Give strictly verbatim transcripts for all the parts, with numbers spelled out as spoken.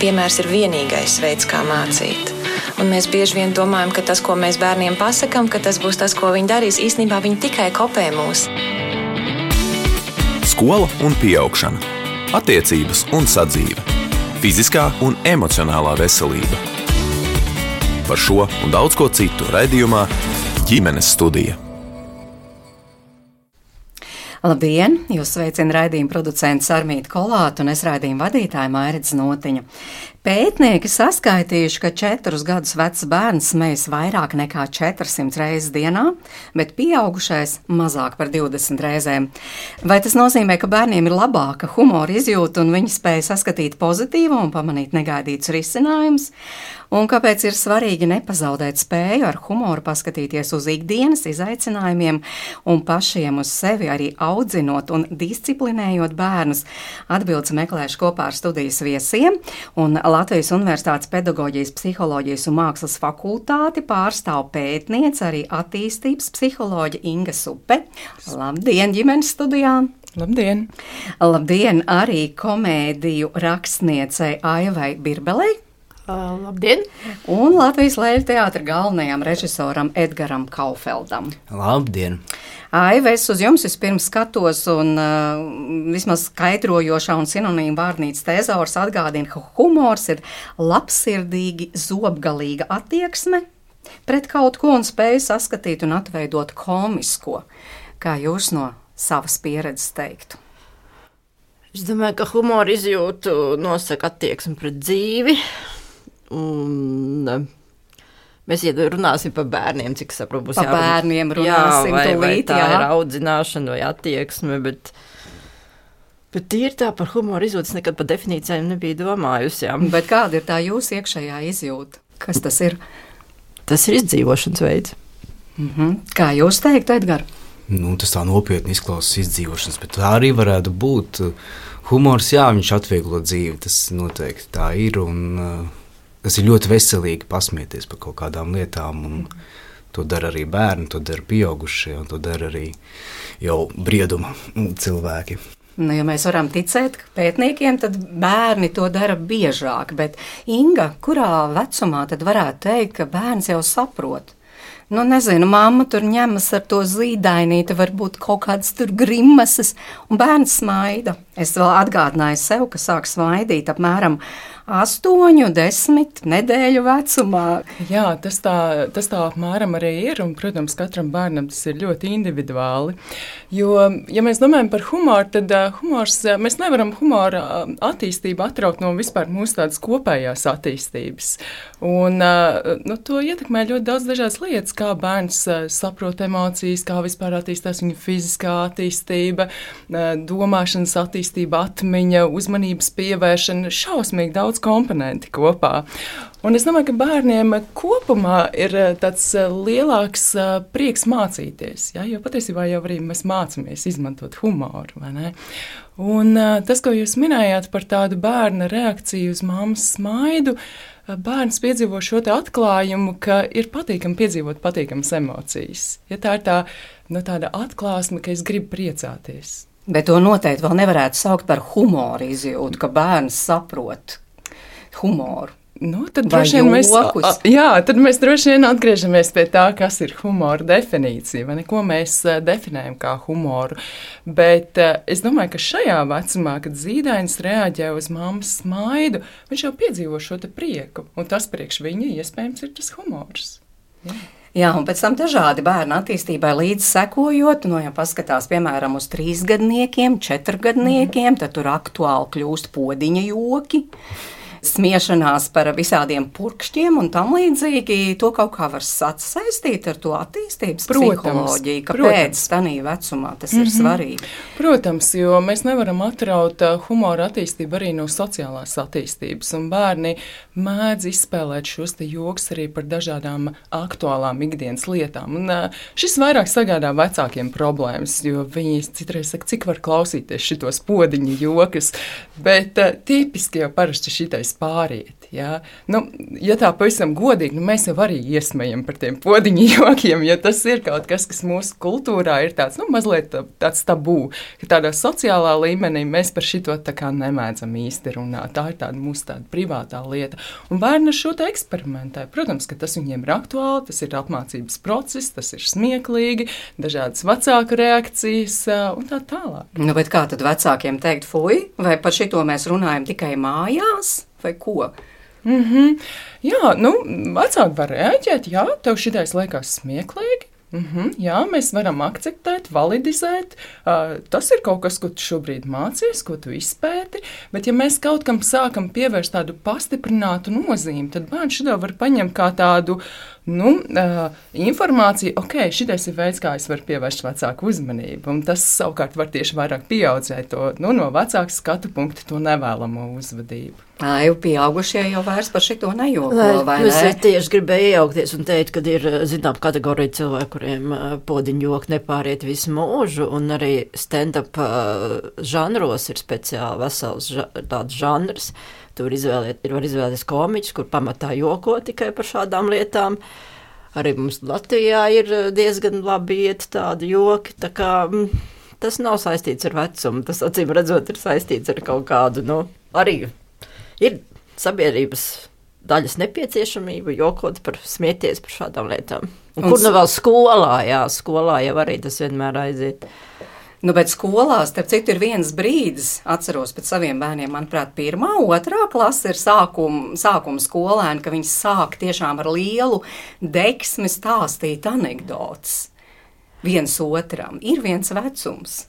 piemērs ir vienīgais veids, kā mācīt. Un mēs bieži vien domājam, ka tas, ko mēs bērniem pasakam, ka tas būs tas, ko viņi darīs, īstenībā viņi tikai kopē mūs. Skola un pieaugšana. Attiecības un sadzīve. Fiziskā un emocionālā veselība. Par šo un daudz ko citu raidījumā Ģimenes studija. Labdien! Jūs sveicina raidījuma producents Armīta Kolāta un es raidījuma vadītāja Mairits Notiņa. Pētnieki saskaitījuši, ka četrus gadus vecs bērns smejas vairāk nekā četrsimt reizes dienā, bet pieaugušais mazāk par divdesmit reizēm. Vai tas nozīmē, ka bērniem ir labāka humora izjūta un viņi spēja saskatīt pozitīvu un pamanīt negaidītus risinājumus? Un kāpēc ir svarīgi nepazaudēt spēju ar humoru paskatīties uz ikdienas izaicinājumiem un pašiem uz sevi arī audzinot un disciplinējot bērnus? Atbildes meklēšu kopā ar studijas viesiem, un Latvijas Universitātes pedagoģijas, psiholoģijas un mākslas fakultāti pārstāv pētniece, arī attīstības psiholoģe Inga Supe. Labdien, ģimenes studijā! Labdien! Labdien arī komēdiju rakstniecei Aivai Birbelei. Uh, labdien! Un Latvijas Lēļu teātra galvenajam režisoram Edgaram Kaufeldam. Labdien! Aiva, es uz jums vispirms skatos un uh, vismaz skaidrojošā un sinonīma vārnīcas tezaurs atgādina, ka humors ir labsirdīgi, zobgalīga attieksme pret kaut ko un spēja saskatīt un atveidot komisko. Kā jūs no savas pieredzes teiktu? Es domāju, ka humora izjūtu nosaka attieksmi pret dzīvi. Un mēs runāsim par bērniem, cik saprotu, būs par bērniem runāsim, jā, vai, vai tūlīt, tā jā. ir audzināšana vai attieksme, bet, bet tīri tā par humoru izjūtas nekad par definīcijām nebija domājusi. Jā. Bet kāda ir tā jūsu iekšējā izjūta? Kas tas ir? Tas ir izdzīvošanas veids. Mhm. Kā jūs teiktu, Edgar? Nu, tas tā nopietni izklausās izdzīvošanas, bet tā arī varētu būt. Humors, jā, viņš atvieglo dzīvi, tas noteikti tā ir, un uh, tas ir ļoti veselīgi pasmieties par kaut kādām lietām, un to dara arī bērni, to dara pieaugušie, un to dara arī jau brieduma cilvēki. Nu, ja mēs varam ticēt pētniekiem, tad bērni to dara biežāk, bet Inga, kurā vecumā tad varētu teikt, ka bērns jau saprot? Nu, nezinu, mamma tur ņemas ar to zīdainīti, varbūt kaut kādas tur grimases, un bērns smaida. Es vēl atgādināju sev, ka sāk smaidīt apmēram astoņu, desmit nedēļu vecumā. Jā, tas tā, tas tā apmēram arī ir, un, protams, katram bērnam tas ir ļoti individuāli. Jo, ja mēs domājam par humoru, tad uh, humors, uh, mēs nevaram humora uh, attīstību atraukt no vispār mūsu tādas kopējās attīstības. Un uh, nu, to ietekmē ļoti daudz dažādas lietas, kā bērns uh, saprot emocijas, kā vispār attīstās viņa fiziskā attīstība, uh, domāšanas attīstība, atmiņa, uzmanības pievēršana, šausmīgi daudz komponenti kopā. Un es domāju, ka bērniem kopumā ir tāds lielāks prieks mācīties, ja? Jo patiesībā jau arī mēs mācāmies izmantot humoru, vai ne? Un tas, ko jūs minējāt par tādu bērna reakciju uz mammas smaidu, bērns piedzīvo šo te atklājumu, ka ir patīkami piedzīvot patīkamas emocijas. Ja tā ir tā, no tāda atklāsme, ka es gribu priecāties. Bet to noteikti vēl nevarētu saukt par humoru izjūtu, ka bērns saprot humoru. Nu, tad, droši vien mēs, a, jā, tad mēs droši vien atgriežamies pie tā, kas ir humora definīcija, vai ne, ko mēs uh, definējam kā humoru. Bet uh, es domāju, ka šajā vecumā, kad zīdainis reaģē uz mammas smaidu, viņš jau piedzīvo šo te prieku, un tas priekš viņa iespējams ir tas humors. Jā. Jā, un pēc tam dažādi bērnu attīstībai līdz sekojot, no ja paskatās, piemēram, uz trīsgadniekiem, četrgadniekiem, tad tur aktuāli kļūst podiņa joki. smiešanās par visādiem purkšķiem un tam līdzīgi, to kaut kā var sasaistīt ar to attīstības protams, psiholoģiju, kāpēc tādā vecumā tas mm-hmm. ir svarīgi. Protams, jo mēs nevaram atraut humora attīstību arī no sociālās attīstības, un bērni mēdz izspēlēt šos te joks arī par dažādām aktuālām ikdienas lietām. Un šis vairāk sagādā vecākiem problēmas, jo viņi citreiz saka, cik var klausīties šitos podiņu jokas, bet tipiski jau parasti šitais varēs pāriet. Ja, nu, ja tā pavisam godīgi, nu, mēs jau arī iesmējam par tiem podiņu jokiem, jo tas ir kaut kas, kas mūsu kultūrā ir tāds, nu, mazliet tāds tabū, ka tādā sociālā līmenī mēs par šito tā kā nemēdzam īsti runāt. Tā ir tāda mūsu tāda privātā lieta. Un bērni ar šo te eksperimentē. Protams, ka tas viņiem ir aktuāli, tas ir apmācības process, tas ir smieklīgi, dažādas vecāku reakcijas un tā tālāk. Nu, bet kā tad vecākiem teikt, fuj, vai par šito mēs runājam tikai mājās, vai ko? Mm-hmm. Jā, nu, vecāki var reaģēt, jā, tev šitais liekas smieklīgi. Mm-hmm, jā, mēs varam akceptēt, validizēt. Uh, tas ir kaut kas, ko tu šobrīd mācies, ko tu izpēti. Bet, ja mēs kaut kam sākam pievērst tādu pastiprinātu nozīmi, tad bērns šito var paņemt kā tādu nu, uh, informāciju, ok, šitais ir veids, kā es varu pievērst vecāku uzmanību. Un tas savukārt var tieši vairāk pieaudzēt to nu, no vecāka skatu punkta to nevēlamo uzvedību. Ai, pieaugušie jau vairs par šito nejoko, vai ne? Es tieši gribēju iejaukties un teikt, ka ir, zinām, kategorija cilvēku, kuriem podiņu joki nepāriet visu mūžu, un arī stand-up žanros ir speciāli vesels tāds žanrs. Tur izvēliet, var izvēlēties komiķus, kur pamatā joko tikai par šādām lietām. Arī mums Latvijā ir diezgan labi iet tādi joki, tā kā tas nav saistīts ar vecumu, tas acīm redzot ir saistīts ar kaut kādu, nu, arī ir sabiedrības daļas nepieciešamība jokot par smieties par šādām lietām. Un, un kur nu vēl skolā, jā, skolā jau arī tas vienmēr aiziet. Nu, bet skolās, starp citu, ir viens brīdis, atceros pēc saviem bērniem, manuprāt, pirmā, otrā klase ir sākuma, sākuma skolēni, ka viņi sāk tiešām ar lielu deksmi stāstīt anekdotas viens otram. Ir viens vecums.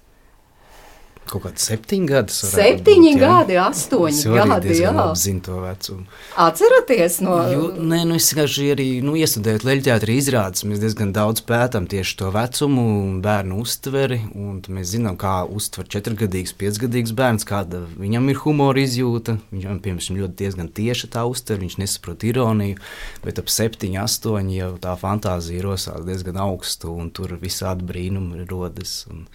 Kaut kāds septiņi gadi. Septiņi būt, gadi, astoņi gadi, jā. Es zinu to vecumu. Atceraties no... Jo, nē, nu es vienkārši arī, nu, iestudējot leļķteātra izrādes, mēs diezgan daudz pētām tieši to vecumu un bērnu uztveri, un mēs zinām, kā uztver četrgadīgs, piecgadīgs bērns, kāda viņam ir humora izjūta, viņam, piemēram, ļoti diezgan tieši tā uztver, viņš nesaprot ironiju, bet ap septiņi, astoņi jau tā fantāzija rosās diezgan augstu, un tur visādi brīnumi rodas, un...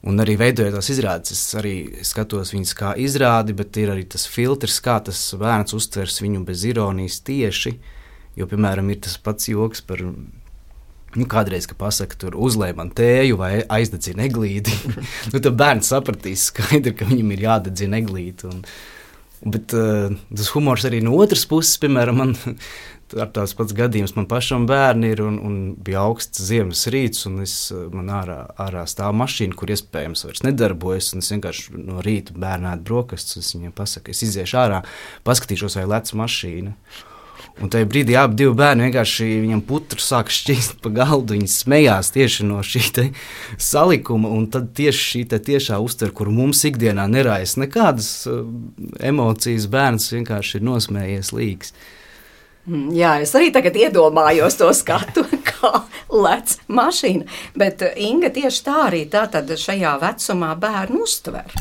Un arī veidojot tās izrādes, es arī skatos viņas kā izrādi, bet ir arī tas filtrs, kā tas bērns uztvers viņu bez ironijas tieši, jo, piemēram, ir tas pats joks par, nu, kādreiz, ka pasaka tur uzlej man tēju vai aizdedzina eglīti, nu, tad bērns sapratīs skaidri, ka viņam ir jādedzina eglīti, un, bet uh, tas humors arī no otras puses, piemēram, man... Ar tās pats gadījums man pašam bērni ir un, un bija augsts ziemas rīts un es, man ārā, ārā stāv mašīna, kur iespējams vairs nedarbojas un es vienkārši no rīta bērnētu brokastus, es viņiem pasaku, es iziešu ārā, paskatīšos, vai lec mašīna. Un tajā brīdī abi divi bērni vienkārši viņam putru sāk šķīst pa galdu, viņi smējās tieši no šī te salikuma un tad tieši šī te tiešā uztver, kur mums ikdienā nerājas nekādas uh, emocijas, bērns vienkārši ir nosmējies līgs. Jā, es arī tagad iedomājos to skatu, kā lec mašīna, bet Inga tieši tā arī tātad šajā vecumā bērnu uztver.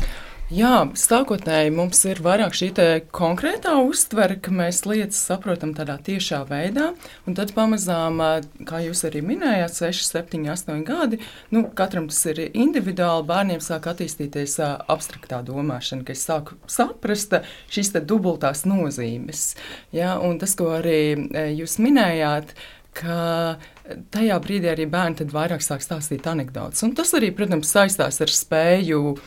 Jā, sākotnēji mums ir vairāk šī te konkrētā uztvere, ka mēs lietas saprotam tādā tiešā veidā, un tad pamazām, kā jūs arī minējāt, seši, septiņi, astoņi gadi, nu, katram tas ir individuāli, bērniem sāk attīstīties abstraktā domāšana, ka es sāku saprast šīs te dubultās nozīmes. Jā, un tas, ko arī jūs minējāt, ka tajā brīdī arī bērni tad vairāk sāk stāstīt anekdotas. Un tas arī, protams, saistās ar spēju uh,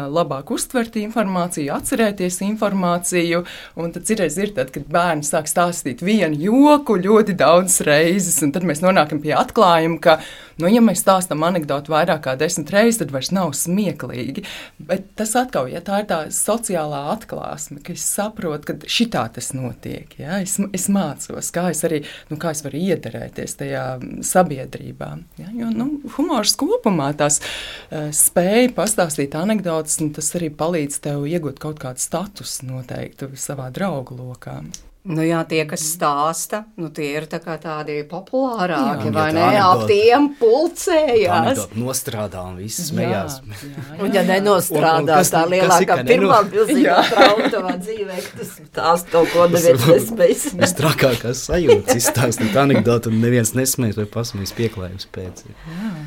labāk uztvert informāciju, atcerēties informāciju. Un tad citreiz ir tad, kad bērni sāk stāstīt vienu joku ļoti daudz reizes, un tad mēs nonākam pie atklājuma, ka, nu, ja mēs stāstam anekdotu vairāk kā desmit reizes, tad vairs nav smieklīgi. Bet tas atkal, ja tā ir tā sociālā atklāsme, ka es saprotu, ka šitā tas notiek, ja? es, es mācos, kā es arī, nu, kā es varu iederēties tajā sabiedrībā. Ja? Jo, nu, humors kopumā tās uh, spēja pastāstīt anekdotas, un tas arī palīdz tev iegūt kaut kādu statusu noteiktu savā draugu lokā. Nu jā, tie, kas stāsta, nu tie ir tā kā tādi populārāki, Jā, vai tā ne? Ap anekdote. tiem pulcējās. Anekdote nostrādā un viss smējās. Jā, jā, jā. Un ja nenostrādā, Un- un kas- tā kas lielākā ir, ka pirmā neno- milzīgā trauma tavā dzīvē, ka tas tās kaut ko neviens nespējas. Visstrakākās sajūtas izstāstīt anekdotu un neviens nesmējas vai pasmējas pieklājums pēc.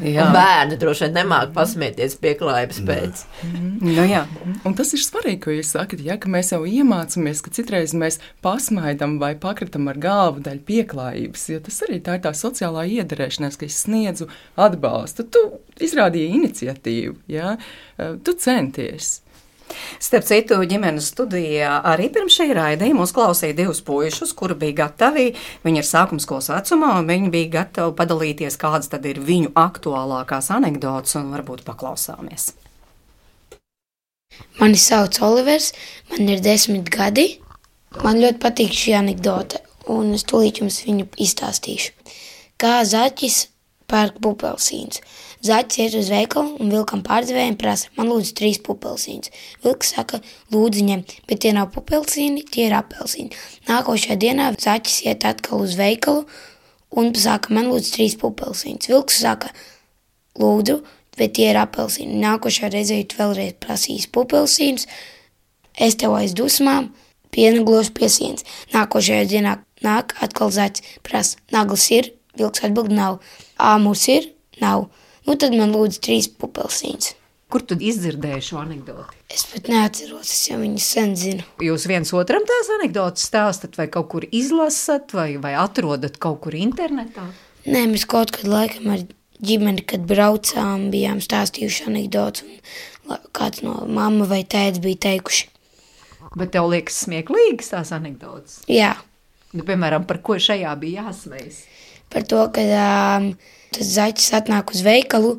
Jā, Un bērni droši vien nemāk pasmieties pieklājības pēc. nu jā. Un tas ir svarīgi, ko jūs sakat, ja, ka mēs jau iemācāmies, ka citreiz mēs pasmaidām vai pakritam ar galvu daļu pieklājības, jo tas arī tā ir tā sociālā iederēšanās, ka es sniedzu atbalstu. Tu izrādīji iniciatīvu, ja? Tu centies. Starp citu, ģimenes studijā arī pirms šī raidījuma uzklausīja divus puišus, kuri bija gatavi, viņi ir sākumskolas vecumā, un viņi bija gatavi padalīties, kādas tad ir viņu aktuālākās anekdotas, un varbūt paklausāmies. Mani sauc Olivers, man ir desmit gadi. Man ļoti patīk šī anekdote, un es tūlīt jums viņu izstāstīšu. Kā zaķis pērk pupelsīnus. Zaķis iet uz veikalu un vilkam pārdevējiem prasa, man lūdzu trīs pupelsīnus. Vilks saka, lūdzu ņem, bet tie nav pupelsīni, tie ir apelsīni. Nākošajā dienā zaķis iet atkal uz veikalu un saka, man lūdzu trīs pupelsīnus. Vilks saka, lūdzu, bet tie ir apelsīni. Nākošajā reizē tu vēlreiz prasīs pupelsīnus, es tev aiz dusmām, piena gložu pie sienas. Nākošajā dienā nāk atkal zaķis, prasa, naglas ir, vilks atbild nav, āmurs ir, nav. Nu tad man lūdzu trīs pupelsīnus. Kur tu izdzirdēji šo anekdoti? Es pat neatceros, es jau viņu sen zinu. Jūs viens otram tās anekdotas stāstat, vai kaut kur izlasat, vai, vai atrodat kaut kur internetā? Nē, mēs kaut kad laikam ar ģimeni, kad braucām, bijām stāstījuši anekdotus, un la- kāds no mamma vai tēts bija teikuši. Bet tev liekas smieklīgas tās anekdotas? Jā, Nu, piemēram, par ko šajā bija jāsmējas? par to, ka um, tas zaķis atnāk uz veikalu,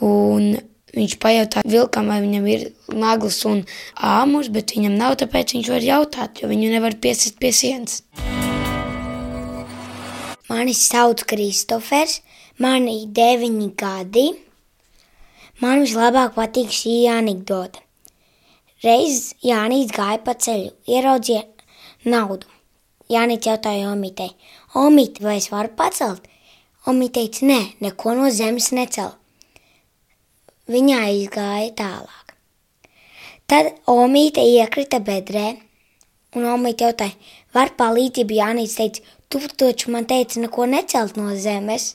un viņš pajautā vilkam, vai viņam ir naglas un āmurs, bet viņam nav, tāpēc viņš var jautāt, jo viņu nevar piesist pie sienas. Mani sauc Kristofers, man ir deviņi gadi. Man vislabāk patīk šī anekdote. Reiz Jānis gāja pa ceļu, ieraudzīja naudu. Jānis jautāja Omītei, Omīte, vai es varu pacelt? Omīte teica, nē, neko no zemes necel. Viņa izgāja tālāk. Tad Omīte iekrita bedrē, un Omīte jautāja, var palīdzību? Jānis teica, tu taču man teici neko necelt no zemes.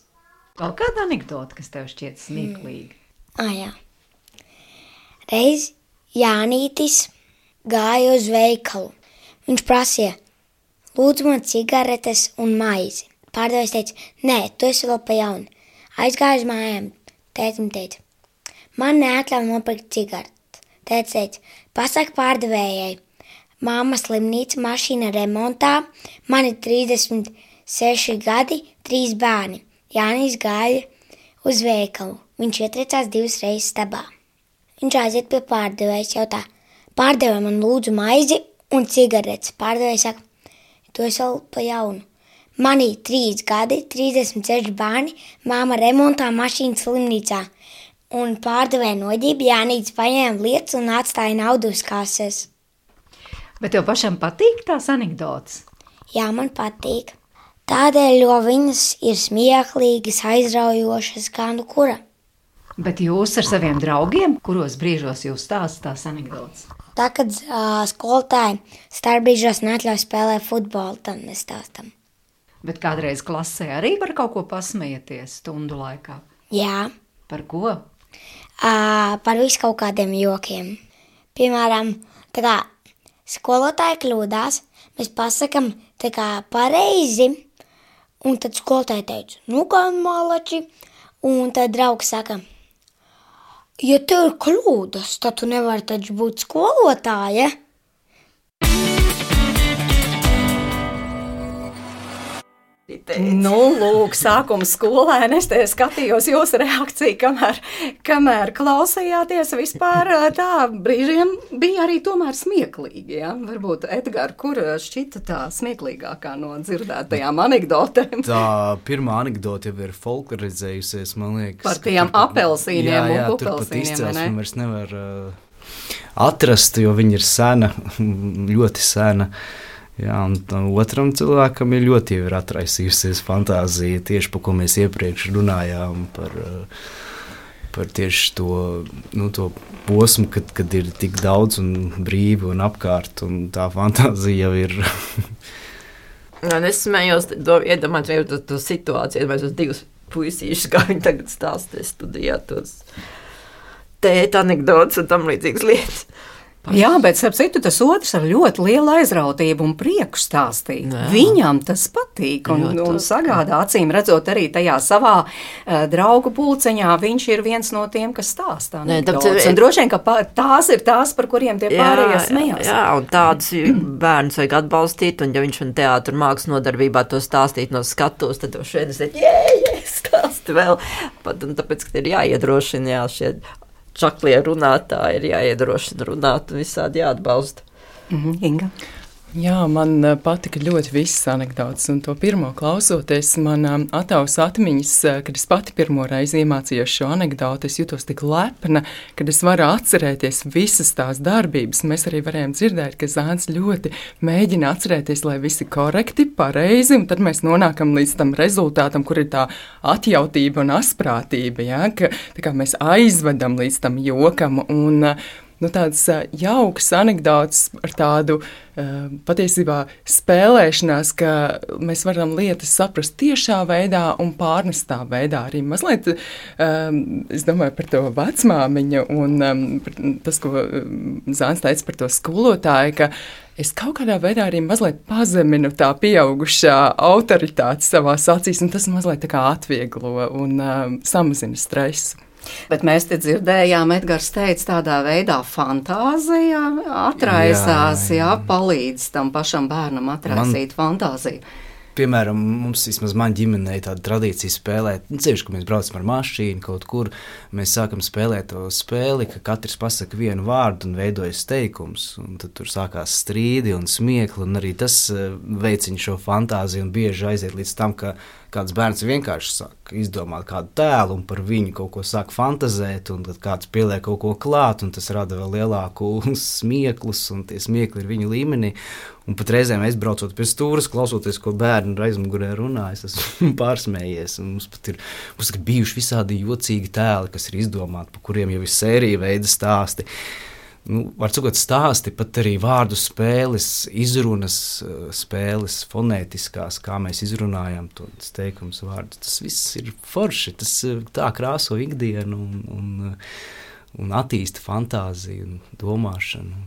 Vēl kāda anekdota, kas tev šķiet smieklīga? Ah, jā. Reiz Jānītis gāja uz veikalu. Viņš prasīja, lūdzu man cigaretes un maizi. Pārdevējs teica, nē, tu esi vēl pa jaunu. Aizgāja uz mājām. Tētim teica, man neatļauj nopirkt cigaretes. Tētis teica, pasaka pārdevējai, mamma slimnīca, mašīna remontā, man ir trīsdesmit seši gadi, trīs bērni. Jānis gāja uz veikalu. Viņš ietriecās divas reizes stabā. Viņš aiziet pie pārdevējas, jautā, pārdevēja man lūdzu maizi un cigaretes. Pārdevēja saka, tu esi vēl pa jaunu. Man ir trīs gadi, trīsdesmit seši bērni, māma remontā, mašīna slimnīcā. Un pārdevēja noģība, Jānis paņēma lietas un atstāja naudu uz kases. Bet tev pašam patīk tās anekdotas? Jā, man patīk. Tādēļ, jo viņas ir smieklīgas, aizraujošas, kā nu kura. Bet jūs ar saviem draugiem, kuros brīžos jūs stāstat tās anekdotas? Tā, kad uh, skolotāji starpbrīžos neatļauj spēlēt futbolu, tad mēs stāstam. Bet kādreiz klasē arī var kaut ko pasmieties stundu laikā? Jā, Par ko? uh, par visu kaut kādiem jokiem. Piemēram, tā kā skolotāji kļūdās, mēs pasakam tā kā pareizi, un tad skolotāji teica, nu kā malači, un tad draugs saka, ja tev ir kļūdas, tad tu nevari taču būt skolotāja. Nu, lūk, sākuma skolēni, es te skatījos jūsu reakciju, kamēr, kamēr klausījāties vispār tā, brīžiem bija arī tomēr smieklīgi, ja? Varbūt, Edgar, kur šķita tā smieklīgākā no dzirdētajām anekdotēm? Tā pirmā anekdote jau ir folklorizējusies, man liekas. Par tiem ka tur- apelsīniem jā, un jā, tur pat pupelsīniem, vai ne? izcelsmi vairs nevar uh, atrast, jo viņi ir sena, ļoti sena. Jā, un otram cilvēkam ir ļoti jau ir atraisījusies fantāzija, tieši par ko mēs iepriekš runājām, par, par tieši to, nu, to posmu, kad, kad ir tik daudz un brīvi un apkārt, un tā fantāzija jau ir... Un es smējos, iedomājos to, to situāciju, iedomājos tos divus puisīšus, kā viņi tagad stāstīs studijā tos tēta anekdotas un tam līdzīgas lietas. Jā, bet, starp citu, tas otrs ar ļoti lielu aizrautību un prieku stāstīt. Jā. Viņam tas patīk un, un sagādā, acīm redzot, arī tajā savā uh, draugu pulceņā viņš ir viens no tiem, kas stāstā. Nē, tāpēc, un droši vien, ka pa, tās ir tās, par kuriem tie pārējie smējās. Jā, un tādus bērnus vajag atbalstīt, un ja viņš un teātru mākslas nodarbībā to stāstīt no skatos, tad šeit es teicu, jē, jē, stāsti vēl. Pat, un tāpēc, ka ir jāiedrošina, jā, šie čaklie runātāji ir jāiedrošina runāt un visādi jāatbalsta. Mm-hmm. Inga? Jā, man patika ļoti visas anekdotas, un to pirmo klausoties, man atausa atmiņas, kad es pati pirmo reizi iemācījos šo anekdoti, es jutos tik lepna, kad es varu atcerēties visas tās darbības. Mēs arī varējām dzirdēt, ka Zāns ļoti mēģina atcerēties, lai visi korekti, pareizi, un tad mēs nonākam līdz tam rezultātam, kur ir tā atjautība un asprātība, ja? Ka tā kā mēs aizvedam līdz tam jokam, un nu, tādas jaukas anekdotas ar tādu uh, patiesībā spēlēšanās, ka mēs varam lietas saprast tiešā veidā un pārnestā veidā. Arī mazliet, um, es domāju par to vecmāmiņu un um, tas, ko Zāns teica par to skolotāju, ka es kaut kādā veidā arī mazliet pazeminu tā pieaugušā autoritāti savās acīs, un tas mazliet tā kā atvieglo un um, samazina stresu. Bet mēs te dzirdējām, Edgars teica, tādā veidā fantāzija atraisās, jā, jā. jā, palīdz tam pašam bērnam atraisīt man, fantāziju. Piemēram, mums vismaz man ģimenei tāda tradīcija spēlēt, nu, ceļš, ka mēs braucam ar mašīnu kaut kur, mēs sākam spēlēt to spēli, ka katrs pasaka vienu vārdu un veidojas teikums, un tad tur sākās strīdi un smiekli, un arī tas veicina šo fantāziju un bieži aiziet līdz tam, ka kāds bērns vienkārši sāk izdomāt kādu tēlu un par viņu kaut ko sāk fantazēt, un tad kāds pieliek kaut ko klāt, un tas rada vēl lielāku smieklus, un tie smiekli ir viņa līmenī. Un pat reizēm es braucot pie stūras, klausoties, ko bērni aizmugurē runā, es esmu pārsmējies, un mums pat ir, mums ir bijuši visādi jocīgi tēli, kas ir izdomāti, pa kuriem jau ir sērija veida stāsti. Nu, var sakot, stāsti, pat arī vārdu spēles, izrunas spēles, fonētiskās, kā mēs izrunājam tos teikums vārdus. Tas viss ir forši, tas tā krāso ikdienu un, un, un attīsta fantāziju un domāšanu.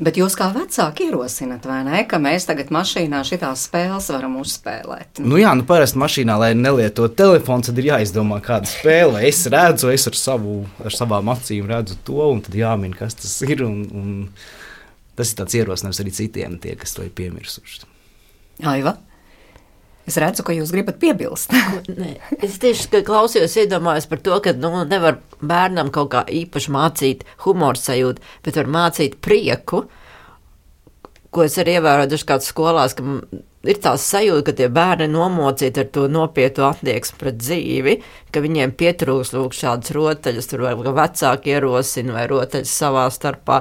Bet jūs kā vecāki ierosinat, vai ne, ka mēs tagad mašīnā šitās spēles varam uzspēlēt? Nu jā, nu parasti mašīnā, lai nelieto telefons, tad ir jāizdomā kāda spēle. Es redzu, es ar, savu, ar savām acīm redzu to, un tad jāmin, kas tas ir, un, un tas ir tāds ierosinājums arī citiem, tie, kas to ir piemirsuši. Aiva? Es redzu, ka jūs gribat piebilst. Nē, es tieši klausījos, iedomājos par to, ka nu, nevar bērnam kaut kā īpaši mācīt humoru sajūtu, bet var mācīt prieku, ko es arī ievēroju dažkārt skolās, ka ir tās sajūta, ka tie bērni nomocīti ar to nopietnu attieksmi pret dzīvi, ka viņiem pietrūks lūk šādas rotaļas, tur vai vecāki ierosina, vai rotaļas savā starpā,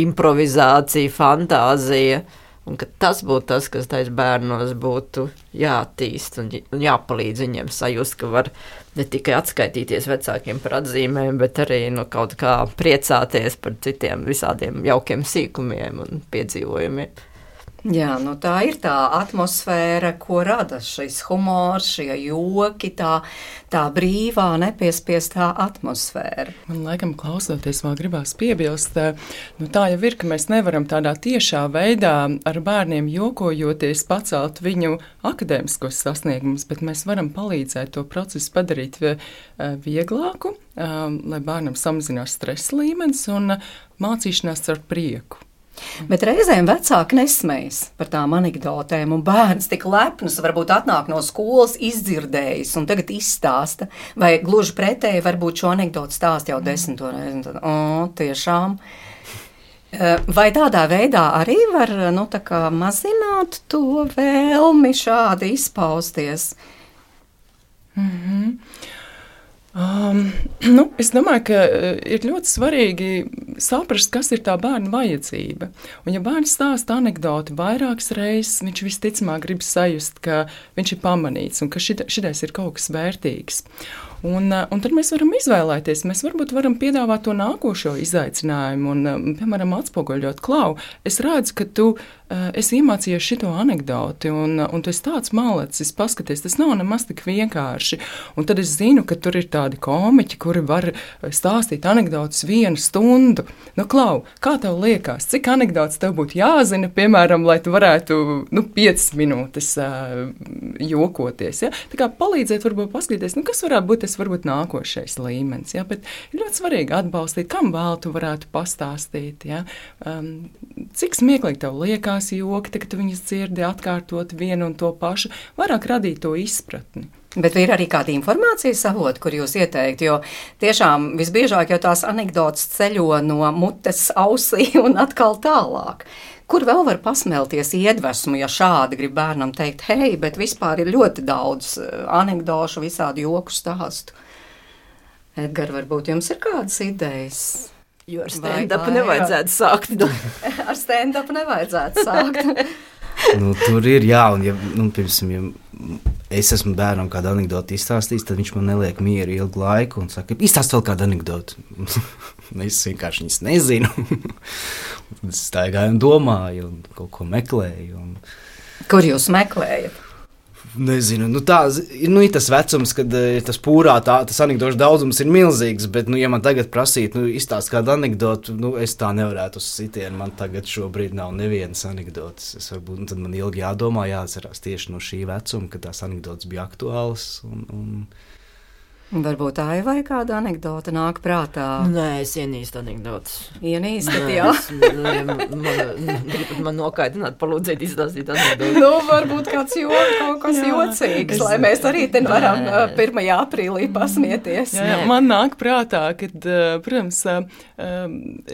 improvizācija, fantāzija. Un ka tas būtu tas, kas tais bērnos būtu jātīst un, un jāpalīdz viņiem sajust, ka var ne tikai atskaitīties vecākiem par atzīmēm, bet arī no kaut kā priecāties par citiem visādiem jaukiem sīkumiem un piedzīvojumiem. Jā, nu tā ir tā atmosfēra, ko rada šis humors, šie joki, tā, tā brīvā, nepiespiestā atmosfēra. Man laikam klausoties vēl gribās piebilst, nu tā jau ir, ka mēs nevaram tādā tiešā veidā ar bērniem jokojoties pacelt viņu akadēmiskos sasniegumus, bet mēs varam palīdzēt to procesu padarīt vieglāku, lai bērnam samazinās stresa līmenis un mācīšanās ar prieku. Bet reizēm vecāki nesmējas par tām anekdotēm, un bērns tik lepns varbūt atnāk no skolas izdzirdējis un tagad izstāsta, vai gluži pretēji varbūt šo anekdotu stāst jau desmito reizi. Tad, o, tiešām. Vai tādā veidā arī var nu, tā kā mazināt to vēlmi šādi izpausties? Mhm. Um, nu, es domāju, ka ir ļoti svarīgi saprast, kas ir tā bērna vajadzība. Un, ja bērns stāsta anekdoti vairākas reizes, viņš visticamāk grib sajust, ka viņš ir pamanīts un ka šitais ir kaut kas vērtīgs. Un, un tad mēs varam izvēlēties, mēs varbūt varam piedāvāt to nākošo izaicinājumu un, piemēram, atspoguļot klau. Es redzu, ka tu uh, esi iemācījies šito anekdoti un, un tu esi tāds malacis, paskaties, tas nav nemaz tik vienkārši. Un tad es zinu, ka tur ir tādi komiķi, kuri var stāstīt anekdotus vienu stundu. Nu, klau, kā tev liekas, cik anekdotas tev būtu jāzina, piemēram, lai tu varētu, nu, piecas minūtes uh, jokoties, ja? Tā kā palīdzēt varbūt paskatīties, nu, kas varētu būt tas varbūt nākošais līmenis, ja? Bet ir ļoti svarīgi atbalstīt, kam vēl tu varētu pastāstīt, ja? Um, cik smieklīgi tev liekas joki, tad, kad tu viņas dzirdi atkārtot vienu un to pašu, vairāk radīt to izpratni. Bet ir arī kāda informācijas avoti, kur jūs ieteikt, jo tiešām visbiežāk jau tās anekdotas ceļo no mutes ausī un atkal tālāk. Kur vēl var pasmelties iedvesmu, ja šādi grib bērnam teikt, hei, bet vispār ir ļoti daudz anekdošu, visādi joku stāstu. Edgar, varbūt jums ir kādas idejas? Jo ar stand-upu nevajadzētu sākt. Ar stand-upu nevajadzētu sākt. Nu, tur ir, jā, un ja, nu, pirmsim, ja es esmu bērnam kādu anekdoti izstāstījis, tad viņš man neliek mieru ilgu laiku un saka, izstāst vēl kādu anekdoti. Es vienkārši viņas nezinu. Es staigāju un domāju un kaut ko meklēju. Un... Kur jūs meklējat? Nezinu, nu tā, nu ir tas vecums, kad tas pūrā tā, tas anekdošu daudzums ir milzīgs, bet, nu, ja man tagad prasīt, nu, izstāst kādu anekdotu, nu, es tā nevarētu uz sitienu, man tagad šobrīd nav nevienas anekdotas. Es varbūt, nu, tad man ilgi jādomā, jāatcerās tieši no šī vecuma, kad tās anekdotas bija aktuālas un... un Varbūt tā ir vai kāda anekdota nāk prātā? Nē, es ienīstu anekdotas. Ienīstat, jā? Man, man, gribat man nokaitināt, palūdzēt izstāstīt anekdotas. Nu, varbūt kāds jo, kaut kas jā, jocīgs, es, lai mēs arī te varam nē. pirmajā aprīlī pasmieties. Jā, jā, man nāk prātā, kad, protams,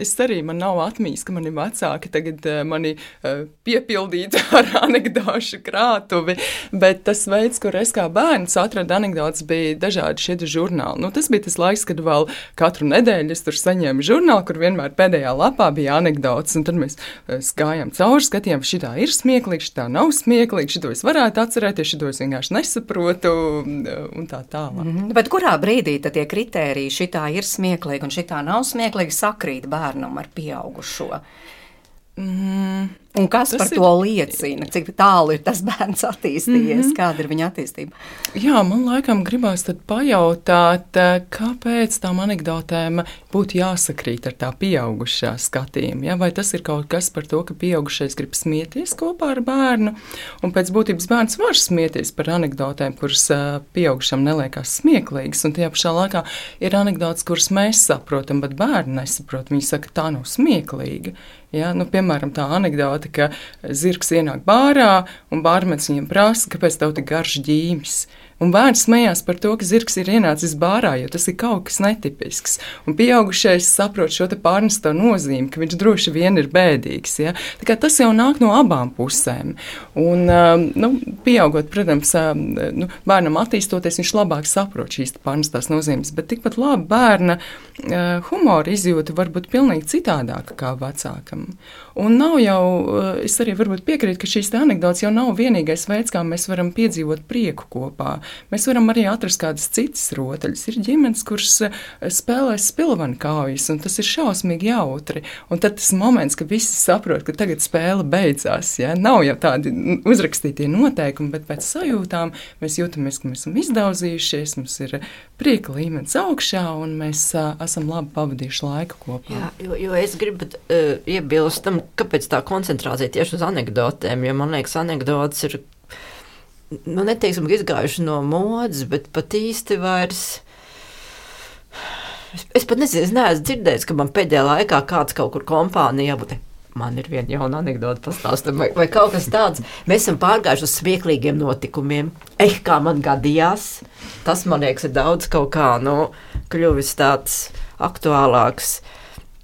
es arī, man nav atmīs, ka mani vecāki tagad mani piepildītu ar anekdošu krātuvi, bet tas veids, kur es kā bērns atradu anekdotas, bija dažādi šie žurnāli. Nu, tas bija tas laiks, kad vēl katru nedēļu es tur saņēmu žurnālu, kur vienmēr pēdējā lapā bija anekdotas, un tad mēs gājām cauri, skatījām, šitā ir smieklīgi, šitā nav smieklīgi, šito es varētu atcerēties, šito es vienkārši nesaprotu, un tā tālāk. Mm-hmm. Bet kurā brīdī tad tie kritēriji šitā ir smieklīgi un šitā nav smieklīgi sakrīt bērnam ar pieaugušo? Mm. Un kas tas par ir... to liecina? Cik tālu ir tas bērns attīstījies? Mm-hmm. Kāda ir viņa attīstība? Jā, man laikam gribās tad pajautāt, kāpēc tām anekdotēm būtu jāsakrīt ar tā pieaugušā skatījumu. Ja? Vai tas ir kaut kas par to, ka pieaugušais grib smieties kopā ar bērnu, un pēc būtības bērns var smieties par anekdotēm, kuras pieaugušam neliekās smieklīgas, un tajā pašā laikā ir anekdotas, kuras mēs saprotam, bet bērni nesaprot. Viņi saka, tā nav smieklīga. Ja? Nu, piemēram, tā anekdota, ka zirgs ienāk bārā un bārmenis viņam prasa, kāpēc tev tik garš ģīmis. Un bērns smējās par to, ka zirgs ir ienācis bārā, jo tas ir kaut kas netipisks. Un pieaugušais saprot šo te pārnesto nozīmi, ka viņš droši vien ir bēdīgs. Ja? Tā kā tas jau nāk no abām pusēm. Un, nu, pieaugot, protams, nu, bērnam attīstoties, viņš labāk saprot šīs pārnestās nozīmes, bet tikpat labi bērna humora izjūta var būt pilnīgi citādāka kā vecākam. Un nav jau, es arī varbūt piekrītu, ka šīs te anekdotas jau nav vienīgais veids, kā mēs varam piedzīvot prieku kopā. Mēs varam arī atrast kādas citas rotaļas. Ir ģimenes, kuras spēlē spilvenu kaujas, un tas ir šausmīgi jautri. Un tad tas moments, ka visi saprot, ka tagad spēle beidzās. Ja? Nav jau tādi uzrakstītie noteikumi, bet pēc sajūtām mēs jūtamies, ka mēs esam izdauzījušies, mums ir prieka līmenis augšā, un mēs uh, esam labi pavadījuši laiku kopā. Jā, jo, jo es gribu uh, iebilst tam, kāpēc tā koncentrācija tieši uz anekdotēm, jo man liekas, anekdotas ir nu, neteiksim, izgājuši no modes, bet pat īsti vairs. Es, es pat nezinu, es neesmu dzirdējis, ka man pēdējā laikā kāds kaut kur kompānijā būtu. Man ir viena jauna anekdota pastāstam, vai, vai kaut kas tāds. Mēs esam pārgājuši uz smieklīgiem notikumiem. Eh, kā man gadījās. Tas, man liekas, ir daudz kaut kā, nu, kļuvis tāds aktuālāks,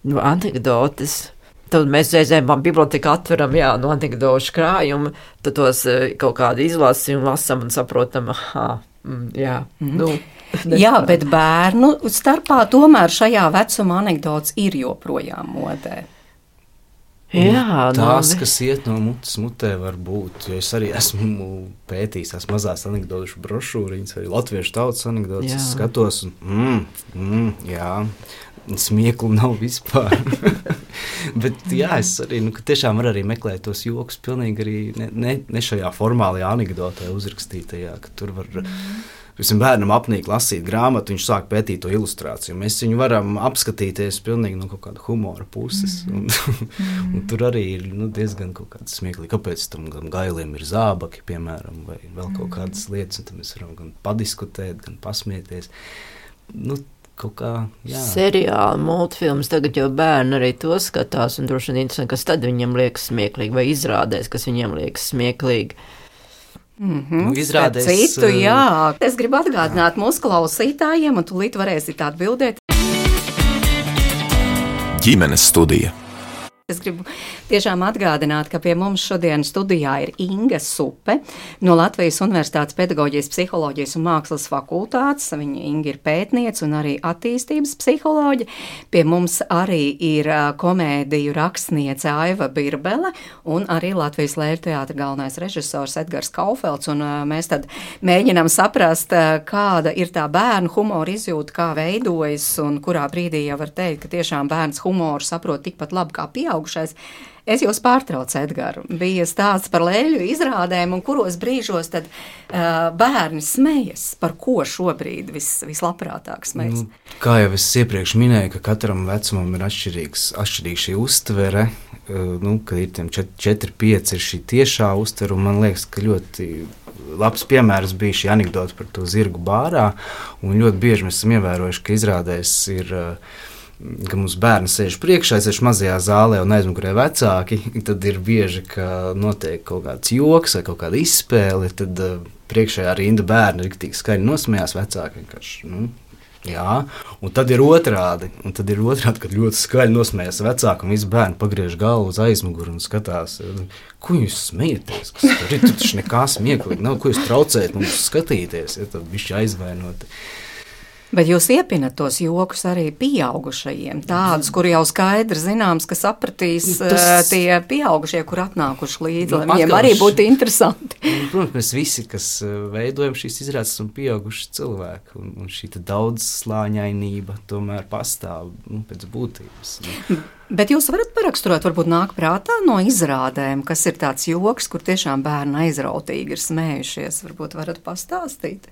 nu, anekdotas. Tad mēs reizēm biblioteka atveram, jā, no anekdošu krājumu, tad tos kaut kādu izlasījumu lasam un saprotam, aha, mm, jā, mm. nu. Jā, bet bērnu starpā tomēr šajā vecuma anekdots ir joprojām modē. Jā, tās, no... kas iet no mutes mutē, var būt. Jo es arī esmu pētījis tās mazās anekdošu brošūriņas, vai latviešu tautas anekdotas. Es skatos, un mm, mm, jā, smieklu nav vispār. Bet jā, es arī, nu, tiešām var arī meklēt tos jokus pilnīgi arī ne, ne, ne šajā formālajā anekdotē uzrakstītajā, ka tur var... Visam bērnam apnīk lasīt grāmatu, viņš sāk pētīt to ilustrāciju. Mēs viņu varam apskatīties pilnīgi no kaut kāda humora puses. Un, un tur arī ir nu, diezgan kaut kāds smieklīgi. Kāpēc tam gailiem ir zābaki, piemēram, vai vēl kaut kādas lietas. Un tad mēs varam gan padiskutēt, gan pasmieties. Nu, kaut kā, jā. Seriāli, multfilms, tagad jau bērni arī to skatās. Un droši vien interesanti, kas tad viņiem liekas smieklīgi, vai izrādēs, kas viņiem liekas smieklīgi. Mm-hmm. Nu, izrādēs, citu, jā. Es gribu atgādināt mūsu klausītājiem, un tūlīt varēsit atbildēt. Ģimenes studija. Es gribu tiešām atgādināt, ka pie mums šodien studijā ir Inga Supe no Latvijas Universitātes pedagoģijas, psiholoģijas un mākslas fakultātes. Viņa Inga ir pētniece un arī attīstības psiholoģe. Pie mums arī ir komēdiju rakstniece Aiva Birbele un arī Latvijas Lēļu teātra galvenais režisors Edgars Kaufelds. Un mēs tad mēģinām saprast, kāda ir tā bērnu humora izjūta, kā veidojas un kurā brīdī jau var teikt, ka tiešām bērns humoru saprot tikpat labi kā pieaug. Es jūs pārtraucu, Edgaru. Bija stāsts par lēļu izrādēm, un kuros brīžos tad uh, bērni smejas, par ko šobrīd vis, vislabprātāk smejas? Nu, kā jau es iepriekš minēju, ka katram vecumam ir atšķirīgs, atšķirīga šī uztvere, uh, nu, ka ir tiem četri pieci ir šī tiešā uztvere, un man liekas, ka ļoti labs piemērs bija šī anekdota par to zirgu bārā, un ļoti bieži mēs esam ievērojuši, ka izrādēs ir... Uh, ka mums bērni sēž priekšā, sēž mazajā zālē un aizmugurē vecāki, tad ir bieži, ka notiek kaut kāds joks vai kaut kāda izspēle, tad uh, priekšējā rinda bērni riktīgi skaļi nosmējās, vecāki vienkārši, nu, jā, un tad ir otrādi, un tad ir otrādi, kad ļoti skaļi nosmējās vecāki, un visi bērni pagriež galvu uz aizmuguru un skatās, ko jūs smejaties, kas tur ir, tur taču nekā smieklīgi nav, ko jūs traucējat mums skatīties, ja tad bišķi aizvainoti. Bet jūs iepinat tos jokus arī pieaugušajiem, tādus, kuri jau skaidri zināms, ka sapratīs tas... tie pieaugušie, kur atnākuši līdzi, lai viņiem arī būtu interesanti. Protams, mēs visi, kas veidojam šīs izrādes, esam pieauguši cilvēki, un, un šī daudzslāņainība tomēr pastāv, nu, pēc būtības. Bet jūs varat paraksturot, varbūt nāk prātā no izrādēm, kas ir tāds joks, kur tiešām bērni aizrautīgi ir smējušies, varbūt varat pastāstīt?